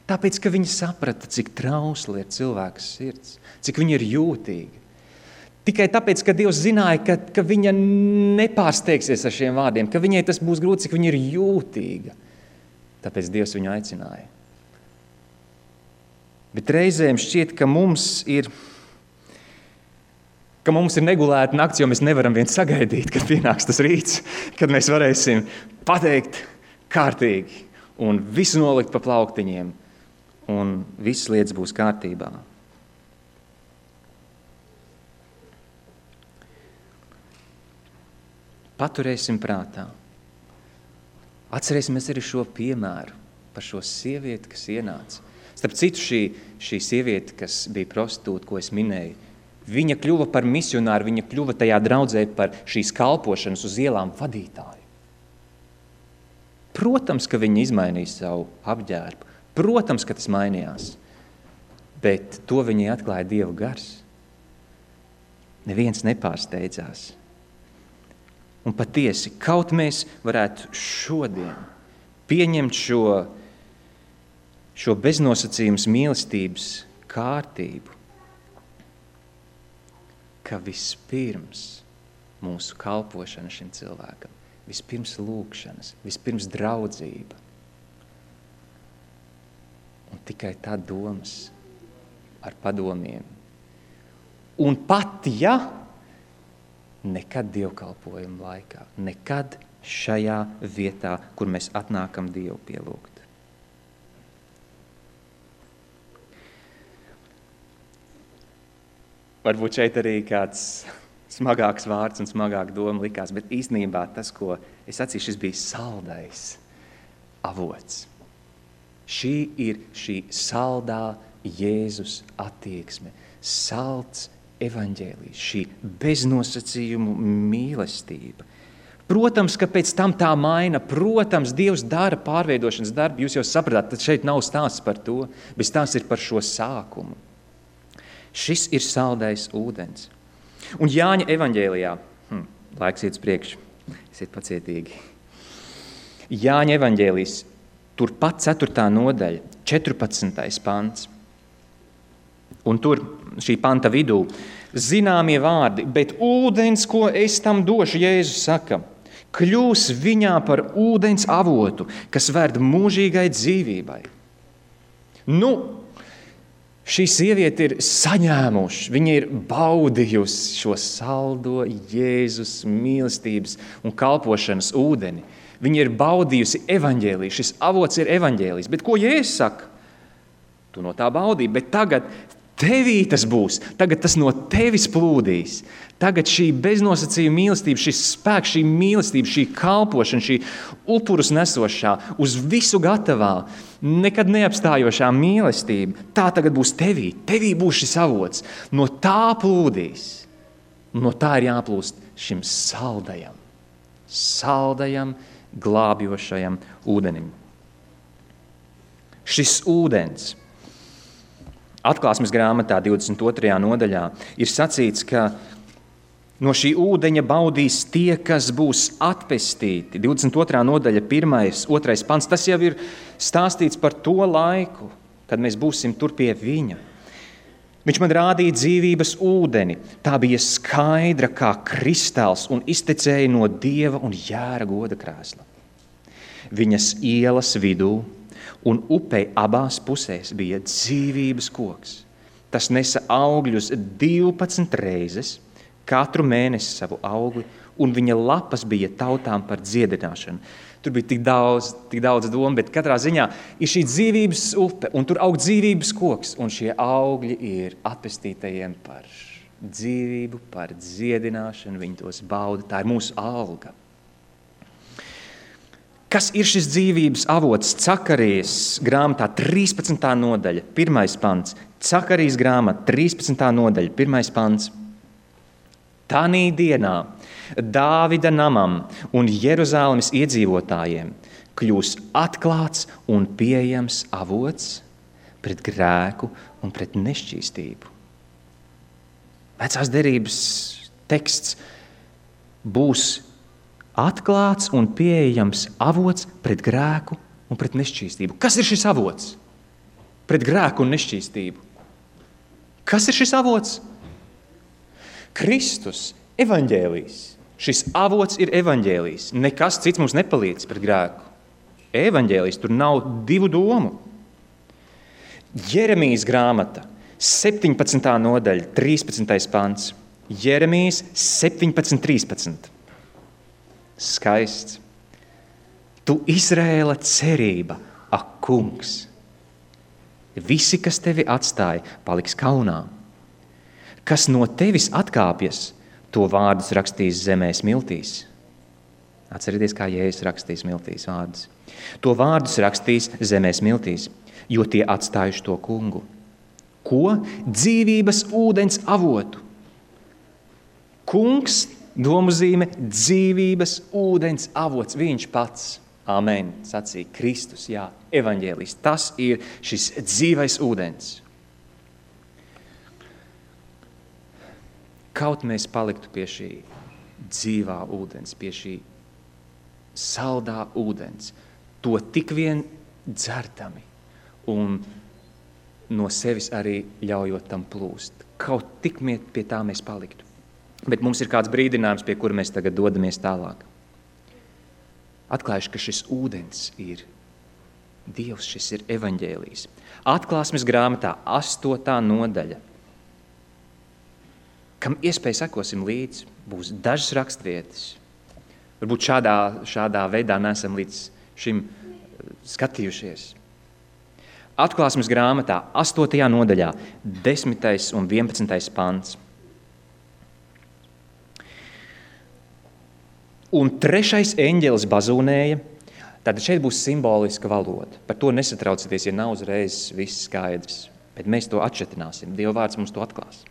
Tāpēc, ka viņi saprata, cik trausla ir cilvēka sirds, cik viņa ir jūtīga. Tikai tāpēc, ka Dievs zināja, ka viņa nepārsteigsies ar šiem vārdiem, ka viņai tas būs grūti, cik viņa ir jūtīga. Tāpēc Dievs viņu aicināja. Bet reizēm šķiet, ka mums ir negulēta nakts, jo mēs nevaram vien sagaidīt, kad pienāks tas rīts, kad mēs varēsim pateikt kārtīgi un visu nolikt pa plauktiņiem. Un visas lietas būs kārtībā. Paturēsim prātā. Atcerēsimies arī šo piemēru par šo sievieti, kas ienāca. Starp citu, šī sieviete, kas bija prostitūta, ko es minēju, viņa kļuva par misionāru, viņa kļuva tajā draudzē par šīs kalpošanas uz ielām vadītāju. Protams, ka viņa izmainīja savu apģērbu. Protams, ka tas mainījās, bet to viņai atklāja Dieva gars. Neviens nepārsteidzās. Un patiesi, kaut mēs varētu šodien pieņemt šo beznosacījums mīlestības kārtību, ka vispirms mūsu kalpošana šim cilvēkam, vispirms lūgšanas, vispirms draudzība, un tikai tad domas ar padomiem. Un pat, ja nekad dievkalpojuma laikā, nekad šajā vietā, kur mēs atnākam Dievu pielūgt. Varbūt šeit arī kāds smagāks vārds un smagāk doma likās, bet īstenībā tas, ko es sacīju, šis bija saldais avots. Šī ir šī saldā Jēzus attieksme, salds evaņģēlijs, šī beznosacījumu mīlestība. Protams, ka pēc tam tā maina, protams, Dievs dara pārveidošanas darbu, jūs jau sapratāt, tad šeit nav stāsts par to, bet stāsts ir par šo sākumu. Šis ir saldais ūdens. Un Jāņa evaņģēlijā, laiks iet uz priekšu, esiet pacietīgi. Jāņa evaņģēlijs, turpat 4. nodaļa, 14. pants. Un tur šī panta vidū zināmie vārdi, bet ūdens, ko es tam došu, Jēzus saka, kļūs viņā par ūdens avotu, kas ved mūžīgai dzīvībai. Šī sieviete ir saņēmuši, viņa ir baudījusi šo saldo Jēzus mīlestības un kalpošanas ūdeni. Viņa ir baudījusi evaņģēliju, šis avots ir evaņģēlijs. Bet ko Jēzus saka? Tu no tā baudīji, bet tagad tevī tas būs, tagad tas no tevis plūdīs. Tagad šī beznosacījuma mīlestība, šis spēks, šī mīlestība, šī kalpošana, šī upurus nesošā, uz visu gatavā, nekad neapstājošā mīlestība, tā tagad būs tevī. Tevī būs šis avots. No tā plūdīs. No tā ir jāplūst šim saldajam, glābjošajam ūdenim. Šis ūdens Atklāsmes grāmatā 22. nodaļā ir sacīts, ka no šī ūdeņa baudīs tie, kas būs atpestīti. 22. nodaļa, 1., 2. pants, tas jau ir stāstīts par to laiku, kad mēs būsim tur pie viņa. Viņš man rādīja dzīvības ūdeni, tā bija skaidra kā kristāls un iztecēja no Dieva un Jēra goda krēsla. Viņas ielas vidū un upei abās pusēs bija dzīvības koks. Tas nesa augļus 12 reizes, katru mēnesi savu augli, un viņa lapas bija tautām par dziedināšanu. Tur bija tik daudz domu, bet katrā ziņā ir šī dzīvības upe, un tur aug dzīvības koks, un šie augļi ir atpestītajiem par dzīvību, par dziedināšanu, viņi tos bauda, tā ir mūsu alga. Kas ir šis dzīvības avots? Cakarijas grāmatā 13. nodaļa, 1. pants. Cakarijas grāmata 13. nodaļa, 1. pants. Tanī dienā Dāvida namam un Jeruzālemes iedzīvotājiem kļūs atklāts un pieejams avots pret grēku un pret nešķīstību. Vecās derības teksts būs atklāts un pieejams avots pret grēku un pret nešķīstību. Kas ir šis avots? Pret grēku un nešķīstību. Kas ir šis avots? Kristus, evaņģēlijs. Šis avots ir evaņģēlijs. Nekas cits mums nepalīdz pret grēku. Evaņģēlijs, tur nav divu domu. Jeremijas grāmata, 17. nodaļa, 13. pants. Jeremijas 17.13. Skaists. Tu Izraēla cerība, ak kungs. Visi, kas tevi atstāja, paliks kaunā. Kas no tevis atkāpjas, to vārdus rakstīs zemē smiltīs. Atcerieties, kā Jēzus rakstīs smiltīs vārdus. To vārdus rakstīs zemē smiltīs, jo tie atstājuši to kungu. Ko? Dzīvības ūdens avotu. Kungs, domuzīme, dzīvības ūdens avots, viņš pats. Amen, sacīja Kristus, jā, evaņģēlijs. Tas ir šis dzīvais ūdens. Kaut mēs paliktu pie šī dzīvā ūdens, pie šī saldā ūdens, to tik vien dzertami un no sevis arī ļaujot tam plūst. Kaut tik pie tā mēs paliktu. Bet mums ir kāds brīdinājums, pie kura mēs tagad dodamies tālāk. Atklājuši, ka šis ūdens ir Dievs, šis ir evaņģēlijs. Atklāsmes grāmatā 8. nodaļa. Kam iespēja sekosim līdzi, būs dažas rakstvietas. Varbūt šādā veidā neesam līdz šim skatījušies. Atklāsmes grāmatā 8. nodaļā 10. un 11. pants. Un 3. eņģelis bazūnēja. Tātad šeit būs simboliska valoda. Par to nesatraucieties, ja nav uzreiz viss skaidrs. Bet mēs to atšķetināsim. Dieva vārds mums to atklās.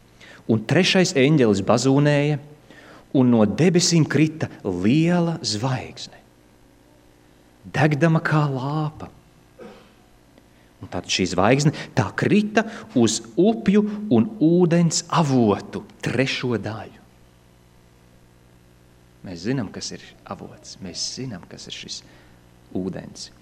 Un 3. eņģelis bazūnēja, un no debesīm krita liela zvaigzne, degdama kā lāpa. Un tātad šī zvaigzne tā krita uz upju un ūdens avotu 3. daļu. Mēs zinām, kas ir avots. Mēs zinām, kas ir šis ūdens.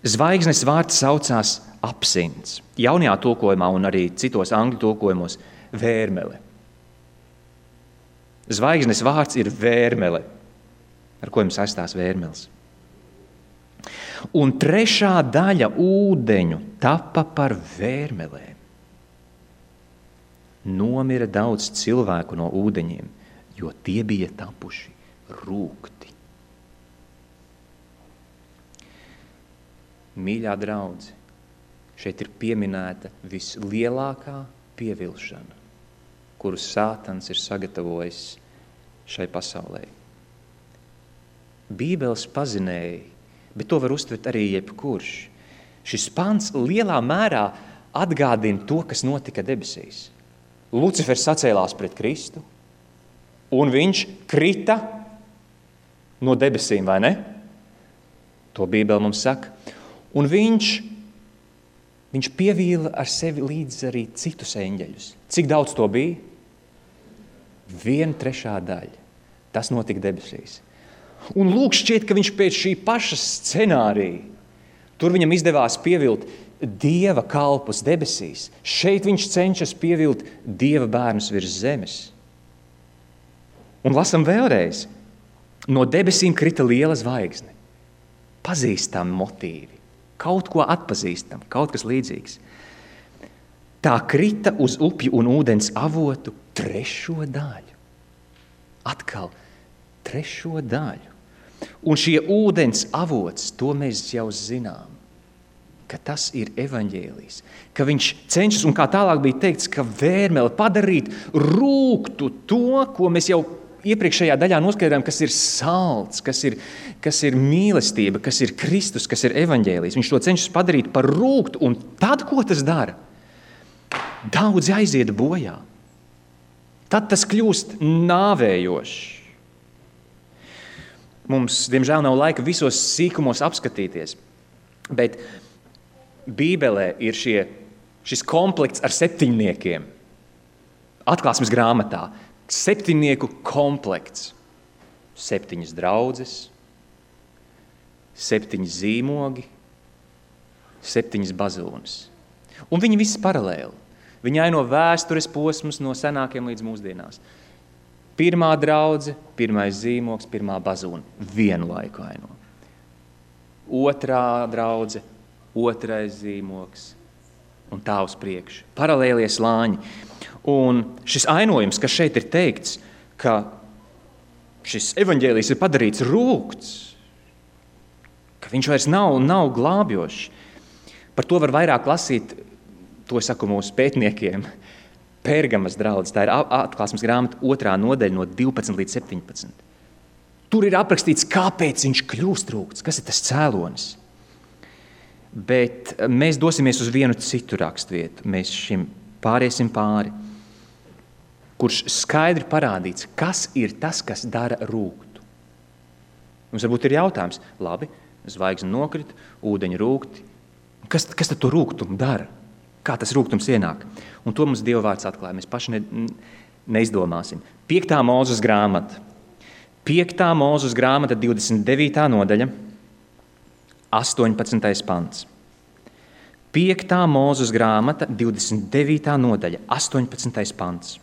Zvaigznes vārds saucās absints. Jaunajā tulkojumā un arī citos angļu tulkojumos vērmele. Zvaigznes vārds ir vērmele. Ar ko jums saistās vērmeles? Un 3. daļa ūdeņu tapa par vērmelēm. Nomira daudz cilvēku no ūdeņiem, jo tie bija tapuši rūgti. Mīļā draudze, šeit ir pieminēta vislielākā pievilšana, kuru Sātans ir sagatavojis šai pasaulē. Bībeles pazinēji, bet to var uztvert arī jebkurš. Šis pants lielā mērā atgādina to, kas notika debesīs. Lucifers sacēlās pret Kristu, un viņš krita no debesīm, vai ne? To Bībele mums saka. Un viņš pievīla ar sevi līdz arī citus eņģeļus. Cik daudz to bija? 1/3 daļa. Tas notika debesīs. Un lūk, šķiet, ka viņš pēc šī paša scenārija, tur viņam izdevās pievilt Dieva kalpus debesīs. Šeit viņš cenšas pievilt Dieva bērnus virs zemes. Un lasam vēlreiz. No debesīm krita liela zvaigzne. Pazīstami motīvi. Kaut ko atpazīstam, kaut kas līdzīgs. Tā krita uz upju un ūdens avotu 3. daļu. Atkal 3. daļu. Un šie ūdens avots, to mēs jau zinām, ka tas ir evaņģēlijs, ka viņš cenšas, un kā tālāk bija teikts, ka vērmele padarīt rūgtu to, ko mēs jau iepriekšējā daļā noskaidrojām, kas ir salds, kas ir mīlestība, kas ir Kristus, kas ir evaņģēlijs. Viņš to cenšas padarīt par rūgtu, un tad, ko tas dara? Daudzi aiziet bojā. Tad tas kļūst nāvējošs. Mums, diemžēl, nav laika visos sīkumos apskatīties, bet Bībelē ir šis komplekts ar 7. Atklāsmes grāmatā. 7 komplekts. 7 draudzes, 7 zīmogi, 7 bazūnes. Un viņi visi paralēli. Viņi aino vēstures posmus no senākiem līdz mūsdienās. 1. draudze, 1. zīmogs, 1. bazūne. Vienu laiku aino. 2. draudze, 2. zīmogs un tā uz priekšu. Paralēlie slāņi. Un šis ainojums, kas šeit ir teikts, ka šis evaņģēlijs ir padarīts rūgts, ka viņš vairs nav glābjošs. Par to var vairāk lasīt, to saku mūsu pētniekiem, Pērgamas draudzes. Tā ir atklāsmes grāmata 2. nodaļa no 12 līdz 17. Tur ir aprakstīts, kāpēc viņš kļūst rūgts, kas ir tas cēlonis. Bet mēs dosimies uz vienu citu rakstvietu. Mēs šim pāriesim pāri, kurš skaidri parādīts, kas ir tas, kas dara rūgtu. Mums varbūt ir jautājums, labi, zvaigzne nokrita, ūdeņi rūgti. Kas tad to rūgtumu dara? Kā tas rūgtums ienāk? Un to mums Dieva vārds atklāja. Mēs paši neizdomāsim. 5. Mūzes grāmata. 5. Mūzes grāmata, 29. nodaļa, 18. pants. 5. Mūzes grāmata, 29. nodaļa, 18. pants.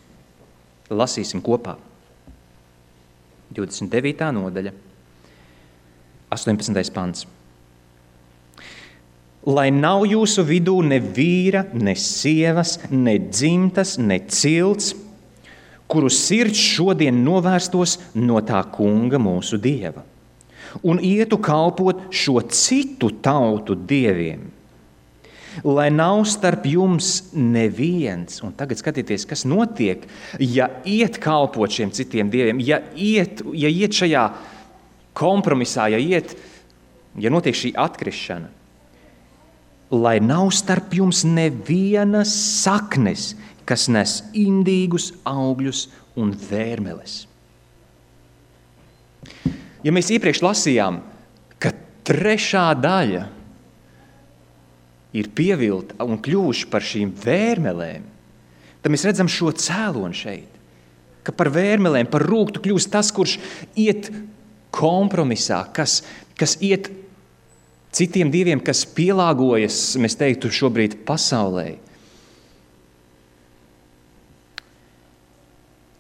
Lasīsim kopā. 29. nodaļa, 18. pants. Lai nav jūsu vidū ne vīra, ne sievas, ne dzimtas, ne cilts, kuru sirds šodien novērstos no tā kunga mūsu Dieva, un ietu kalpot šo citu tautu dieviem. Lai nav starp jums neviens, un tagad skatieties, kas notiek, ja iet kalpot šiem citiem dieviem, ja iet šajā kompromisā, ja notiek šī atkrišana. Lai nav starp jums nevienas saknes, kas nes indīgus augļus un vērmeles. Ja mēs iepriekš lasījām, ka 3. daļa ir pievilta un kļuvuši par šīm vērmelēm, tad mēs redzam šo cēloni šeit, ka par vērmelēm, par rūktu kļūst tas, kurš iet kompromisā, kas iet citiem dieviem, kas pielāgojas, mēs teiktu, šobrīd pasaulē.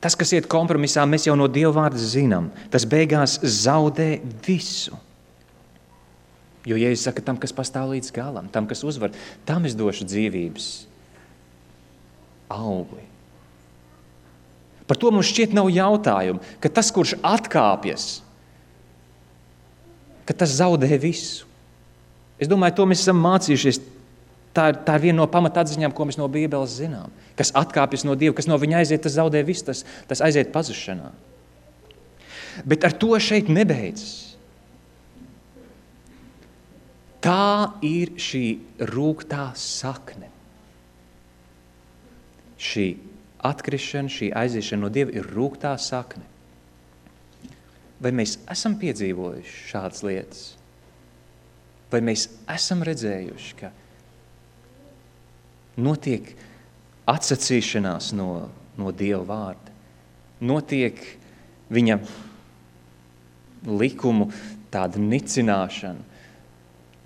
Tas, kas iet kompromisā, mēs jau no Dieva vārda zinām. Tas beigās zaudē visu. Jo Jēzus saka, tam, kas pastāv līdz galam, tam, kas uzvar, tam es došu dzīvības augli. Par to mums šķiet nav jautājumu, ka tas, kurš atkāpjas, ka tas zaudē visu. Es domāju, to mēs esam mācījušies. Tā ir viena no pamatatziņām, ko mēs no Bībeles zinām. Kas atkāpjas no Dieva, kas no viņa aiziet, tas zaudē visu, tas aiziet pazušanā. Bet ar to šeit nebeidzas. Tā ir šī rūgtā sakne. Šī atkrišana, šī aiziešana no Dieva ir rūgtā sakne. Vai mēs esam piedzīvojuši šādas lietas? Vai mēs esam redzējuši, ka notiek atsacīšanās no Dieva vārda, notiek viņa likumu tāda nicināšana?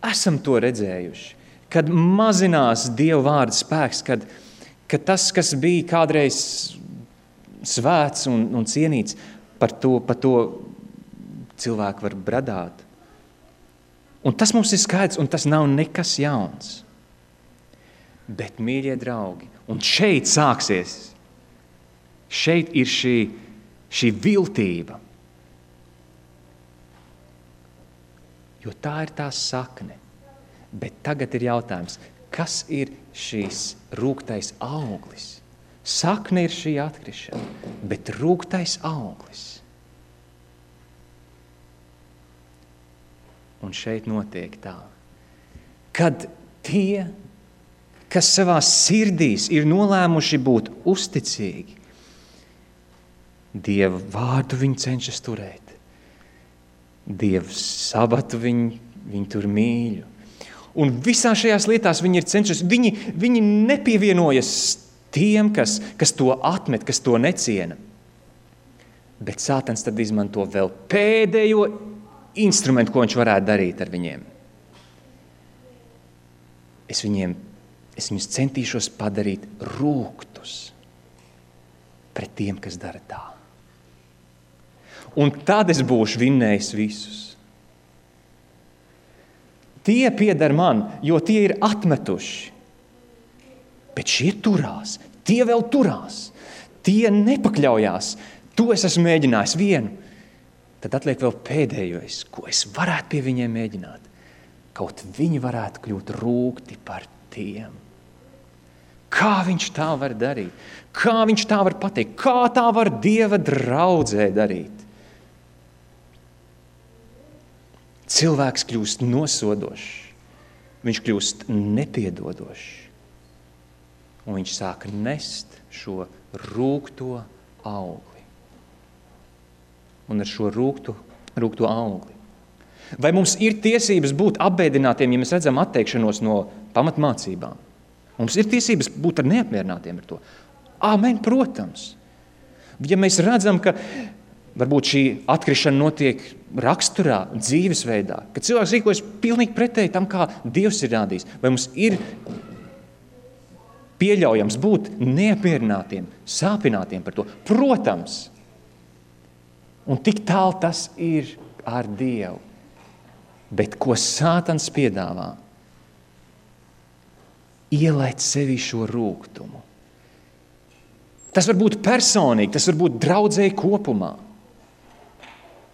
Esam to redzējuši, kad mazinās Dieva vārda spēks, kad tas, kas bija kādreiz svēts un cienīts, par to cilvēki var bradāt. Un tas mums ir skaidrs, un tas nav nekas jauns. Bet, mīļie draugi, un šeit sāksies, šeit ir šī viltība. Jo tā ir tā sakne. Bet tagad ir jautājums, kas ir šīs rūgtais auglis? Sakne ir šī atkrišana, bet rūgtais auglis. Un šeit notiek tā, kad tie, kas savā sirdīs ir nolēmuši būt uzticīgi, Dieva vārdu viņi cenšas turēt. Dieva sabatu viņi tur mīļu. Un visā šajās lietās viņi ir cenšas, viņi nepievienojas tiem, kas to atmet, kas to neciena. Bet Sātans tad izmanto vēl pēdējo instrumentu, ko viņš varētu darīt ar viņiem. Es viņus centīšos padarīt rūgtus pret tiem, kas dara tā. Un tad es būšu vinnējis visus. Tie pieder man, jo tie ir atmetuši. Bet šie turās, tie vēl turās, tie nepakļaujās. To es esmu mēģinājis vienu. Tad atliek vēl pēdējais, ko es varētu pie viņiem mēģināt. Kaut viņi varētu kļūt rūgti par tiem. Kā viņš tā var darīt? Kā viņš tā var pateikt? Kā tā var Dieva draudzē darīt? Cilvēks kļūst nosodošs. Viņš kļūst nepiedodošs. Un viņš sāk nest šo rūgto augli. Un ar šo rūgto augli. Vai mums ir tiesības būt apbēdinātiem, ja mēs redzam atteikšanos no pamatmācībām? Mums ir tiesības būt ar neapmierinātiem ar to. Āmen, protams. Ja mēs redzam, ka varbūt šī atkrišana notiek raksturā, dzīvesveidā, ka cilvēks rīkojas pilnīgi pretēji tam, kā Dievs ir rādījis, vai mums ir pieļaujams būt neapmierinātiem, sāpinātiem par to? Protams. Un tik tālu tas ir ar Dievu. Bet ko Sātans piedāvā? Ielēt sevi šo rūgtumu. Tas var būt personīgi, tas var būt draudzēji kopumā.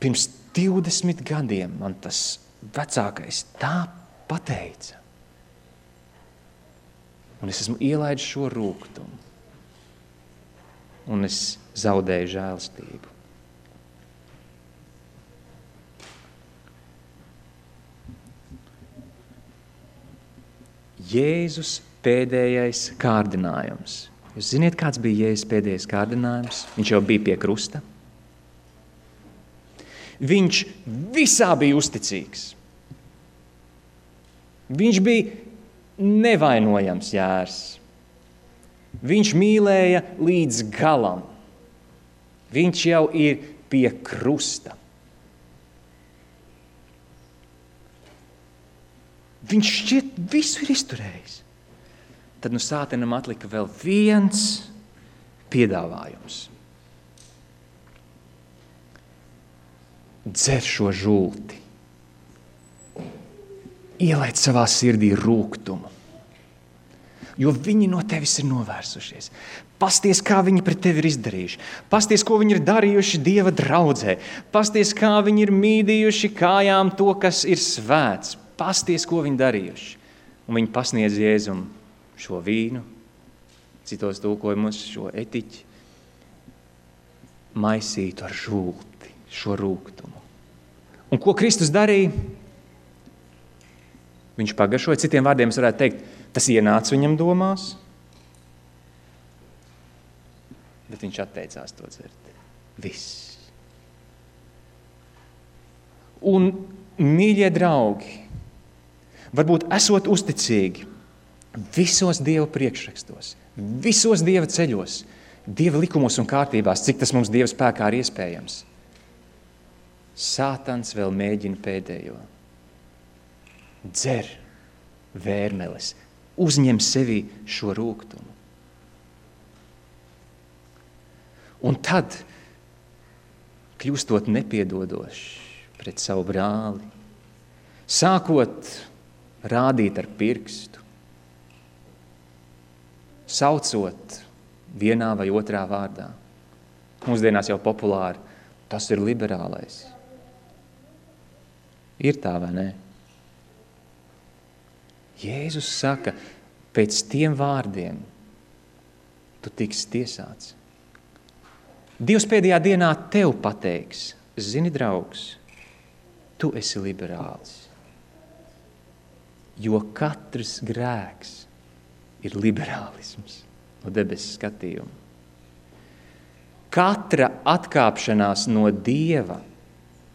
Pirms 20 gadiem man tas vecākais tā pateica. Un es esmu ielaidis šo rūgtumu. Un es zaudēju žēlastību. Jēzus pēdējais kārdinājums. Jūs ziniet, kāds bija Jēzus pēdējais kārdinājums? Viņš jau bija pie krusta. Viņš visā bija uzticīgs. Viņš bija nevainojams jērs. Viņš mīlēja līdz galam. Viņš jau ir pie krusta. Viņš šķiet visu ir izturējis. Tad sātanam atlika vēl viens piedāvājums. Dzer šo žulti. Ielaid savā sirdī rūgtumu. Jo viņi no tevis ir novērsušies. Pasties, kā viņi pret tevi ir izdarījuši. Pasties, ko viņi ir darījuši Dieva draudzē. Pasties, kā viņi ir mīdījuši kājām to, kas ir svēts. Pasties, ko viņi darījuši. Un viņi pasniedz Jēzum šo vīnu, citos tulkojumos šo etiķi, maisītu ar žulti, šo rūgtumu. Un ko Kristus darīja? Viņš pagaršoja, citiem vārdiem es varētu teikt, tas ienāca viņam domās, bet viņš atteicās to dzert. Viss. Un, mīļie draugi, varbūt esot uzticīgi visos Dieva priekšrakstos, visos Dieva ceļos, Dieva likumos un kārtībās, cik tas mums Dieva spēkā ir iespējams. Sātans vēl mēģina pēdējo. Dzer vērmeles, uzņem sevī šo rūgtumu. Un tad, kļūstot nepiedodošs pret savu brāli, sākot rādīt ar pirkstu, saucot vienā vai otrā vārdā. Mūsdienās jau populāri, tas ir liberālais. Ir tā vai ne? Jēzus saka, pēc tiem vārdiem tu tiksi tiesāts. Dievs pēdējā dienā tev pateiks, zini, draugs, tu esi liberāls. Jo katrs grēks ir liberālisms no debesu skatījuma. Katra atkāpšanās no Dieva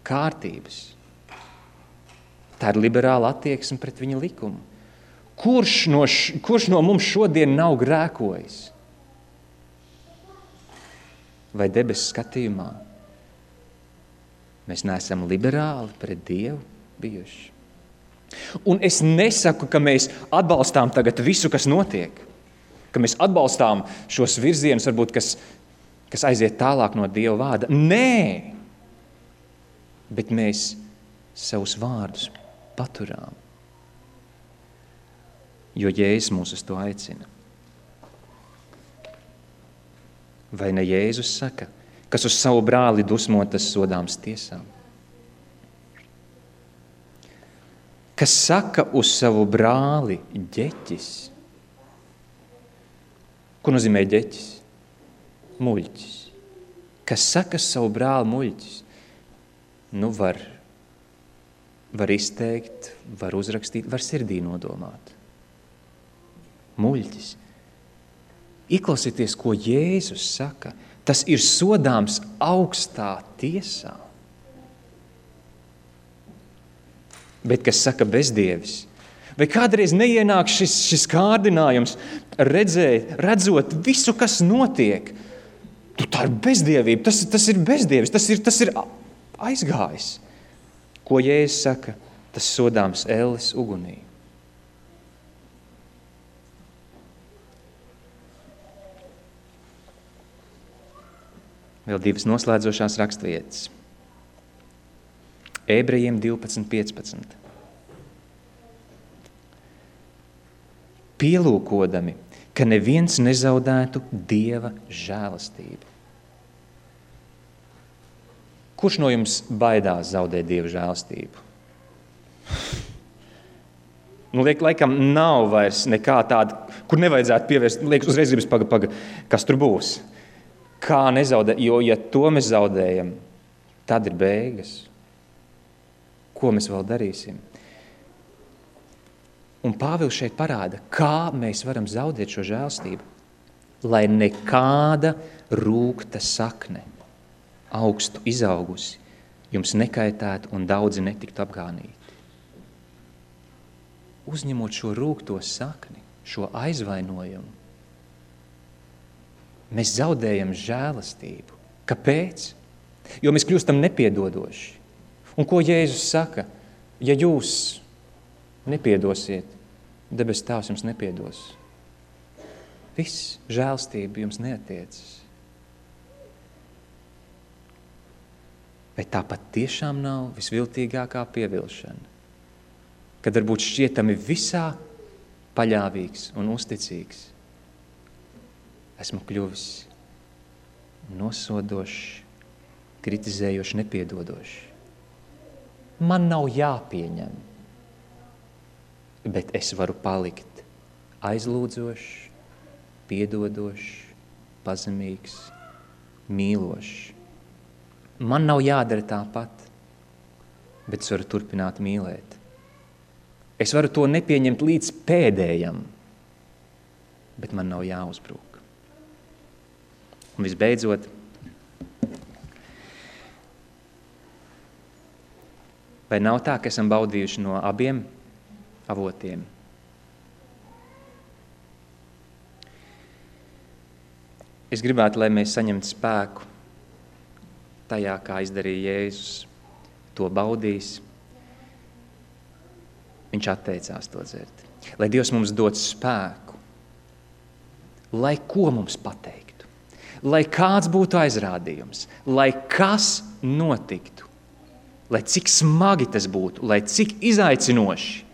kārtības, tā ir liberāla attieksme pret viņa likumu. Kurš no mums šodien nav grēkojis? Vai debesu skatījumā mēs neesam liberāli pret Dievu bijuši? Un es nesaku, ka mēs atbalstām tagad visu, kas notiek, ka mēs atbalstām šos virzienus, varbūt, kas aiziet tālāk no Dieva vārda. Nē! Bet mēs savus vārdus paturām, jo Jēzus mūs uz to aicina. Vai ne Jēzus saka, kas uz savu brāli dusmo, tas sodāms tiesām? Kas saka uz savu brāli ģeķis? Ko nozīmē ģeķis? Muļķis. Kas saka uz savu brāli muļķis? Nu var izteikt, var uzrakstīt, var sirdī nodomāt. Muļķis. Ieklausieties, ko Jēzus saka. Tas ir sodāms augstā tiesā. Bet kas saka bezdievis? Vai kādreiz neienāk šis kārdinājums, redzot visu, kas notiek? Tā ir bezdievība, tas ir bezdievis, tas ir aizgājis. Ko Jēzus saka? Tas sodāms elles ugunī. Vēl divas noslēdzošās rakstvietas. Ebrejiem 12:15. Pielūkodami, ka neviens nezaudētu Dieva žēlastību. Kurš no jums baidās zaudēt Dieva žēlastību? Laikam nav vairs nekā tāda, kur nevajadzētu pievērst, liekas, uzreiz gribas paga, kas tur būs. Kā nezaudēt, jo ja to mēs zaudējam, tad ir beigas. Ko mēs vēl darīsim? Un Pāvils šeit parāda, kā mēs varam zaudēt šo žēlstību, lai nekāda rūgta sakne, augstu izaugusi, jums nekaitētu un daudzi netiktu apgānīti. Uzņemot šo rūgto sakni, šo aizvainojumu, mēs zaudējam žēlastību. Kāpēc? Jo mēs kļūstam nepiedodoši. Un ko Jēzus saka? Ja jūs nepiedosiet, debes Tēvs jums nepiedos. Viss žēlastība jums neatiecas. Vai tāpat tiešām nav visviltīgākā pievilšana? Kad varbūt šķietami visā paļāvīgs un uzticīgs. Esmu kļuvis nosodošs, kritizējošs, nepiedodošs. Man nav jāpieņem, bet es varu palikt aizlūdzošs, piedodošs, pazemīgs, mīlošs. Man nav jādara tāpat, bet es varu turpināt mīlēt. Es varu to nepieņemt līdz pēdējam, bet man nav jāuzbrūk. Un visbeidzot, vai nav tā, ka esam baudījuši no abiem avotiem? Es gribētu, lai mēs saņemtu spēku tajā, kā izdarīja Jēzus, to baudīs. Viņš atteicās to dzert. Lai Dievs mums dod spēku, lai ko mums pateiktu, lai kāds būtu aizrādījums, lai kas notiktu, lai cik smagi tas būtu, lai cik izaicinoši.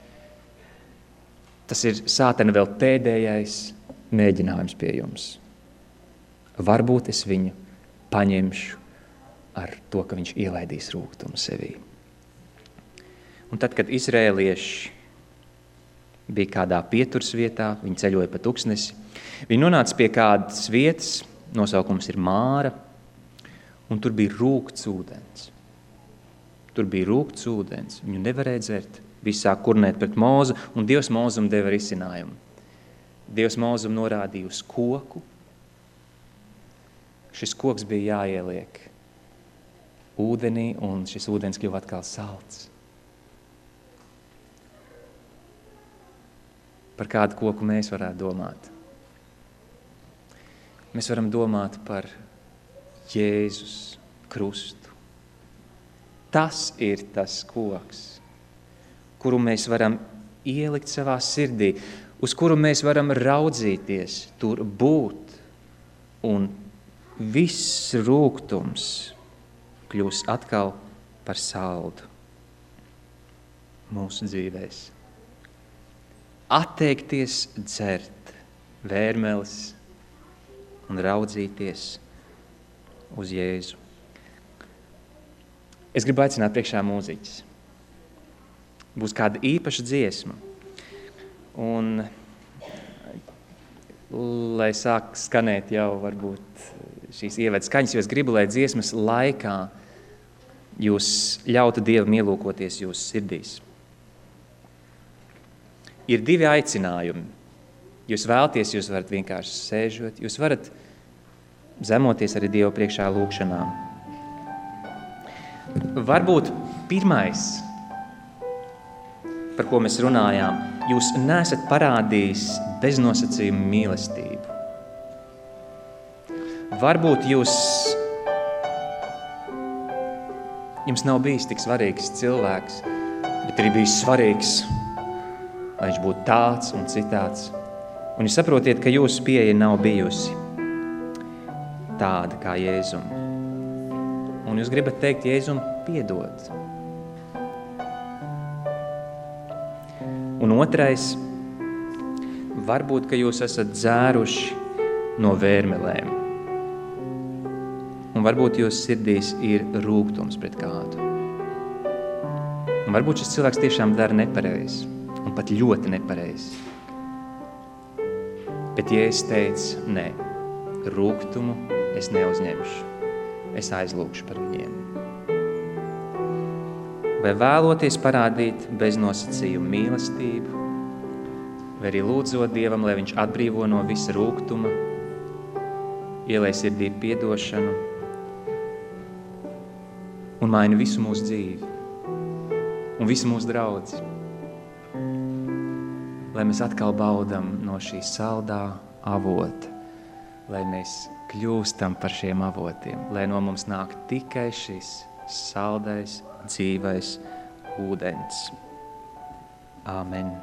Tas ir sātana vēl pēdējais mēģinājums pie jums. Varbūt es viņu paņemšu ar to, ka viņš ielaidīs rūgtumu sevī. Un tad, kad izrēlieši bija kādā pieturas vietā, viņi ceļoja pa tuksnesi, viņi nonāca pie kādas vietas, nosaukums ir Māra, un tur bija rūgts ūdens. Tur bija rūgts ūdens, viņu nevarēja dzert, visi sāk kurnēt pret Mozu, un Dievs Mozum deva risinājumu. Dievs Mozum norādīja uz koku. Šis koks bija jāieliek ūdenī, un šis ūdens kļuva atkal salds. Par kādu koku mēs varētu domāt? Mēs varam domāt par Jēzus krustu. Tas ir tas koks, kuru mēs varam ielikt savā sirdī, uz kuru mēs varam raudzīties, tur būt, un viss rūgtums kļūs atkal par saldu mūsu dzīvēs. Atteikties dzert vērmeles un raudzīties uz Jēzu. Es gribu aicināt priekšā mūziķis. Būs kāda īpaša dziesma. Un, lai sāk skanēt jau varbūt šīs ievedas skaņas, jo es gribu, lai dziesmas laikā jūs ļautu Dievam ielūkoties jūsu sirdīs. Ir divi aicinājumi. Jūs vēlties, jūs varat vienkārši sēžot, jūs varat zemoties arī Dievu priekšā lūkšanām. Varbūt pirmais, par ko mēs runājām, jūs neesat parādījis beznosacījumu mīlestību. Varbūt jums nav bijis tik svarīgs cilvēks, bet ir bijis svarīgs, lai viņš būtu tāds un citāds. Un jūs saprotiet, ka jūsu pieeja nav bijusi tāda kā Jēzum. Un jūs gribat teikt Jēzum piedod. Un otrais, varbūt, ka jūs esat dzēruši no vērmelēm. Un varbūt jūsu sirdīs ir rūgtums pret kādu. Un varbūt šis cilvēks tiešām dara nepareizi. un pat ļoti nepareizi. Bet Jēzus teica, nē, rūgtumu es neuzņemšu, es aizlūgšu par viņiem. Vai vēloties parādīt beznosacījumu mīlestību, vai arī lūdzot Dievam, lai viņš atbrīvo no visa rūgtuma, ielej sirdī piedošanu un maina visu mūsu dzīvi un visu mūsu draudzi. Lai mēs atkal baudam no šī saldā avota, lai mēs kļūstam par šiem avotiem, lai no mums nāk tikai šis saldais, dzīvais ūdens. Āmen.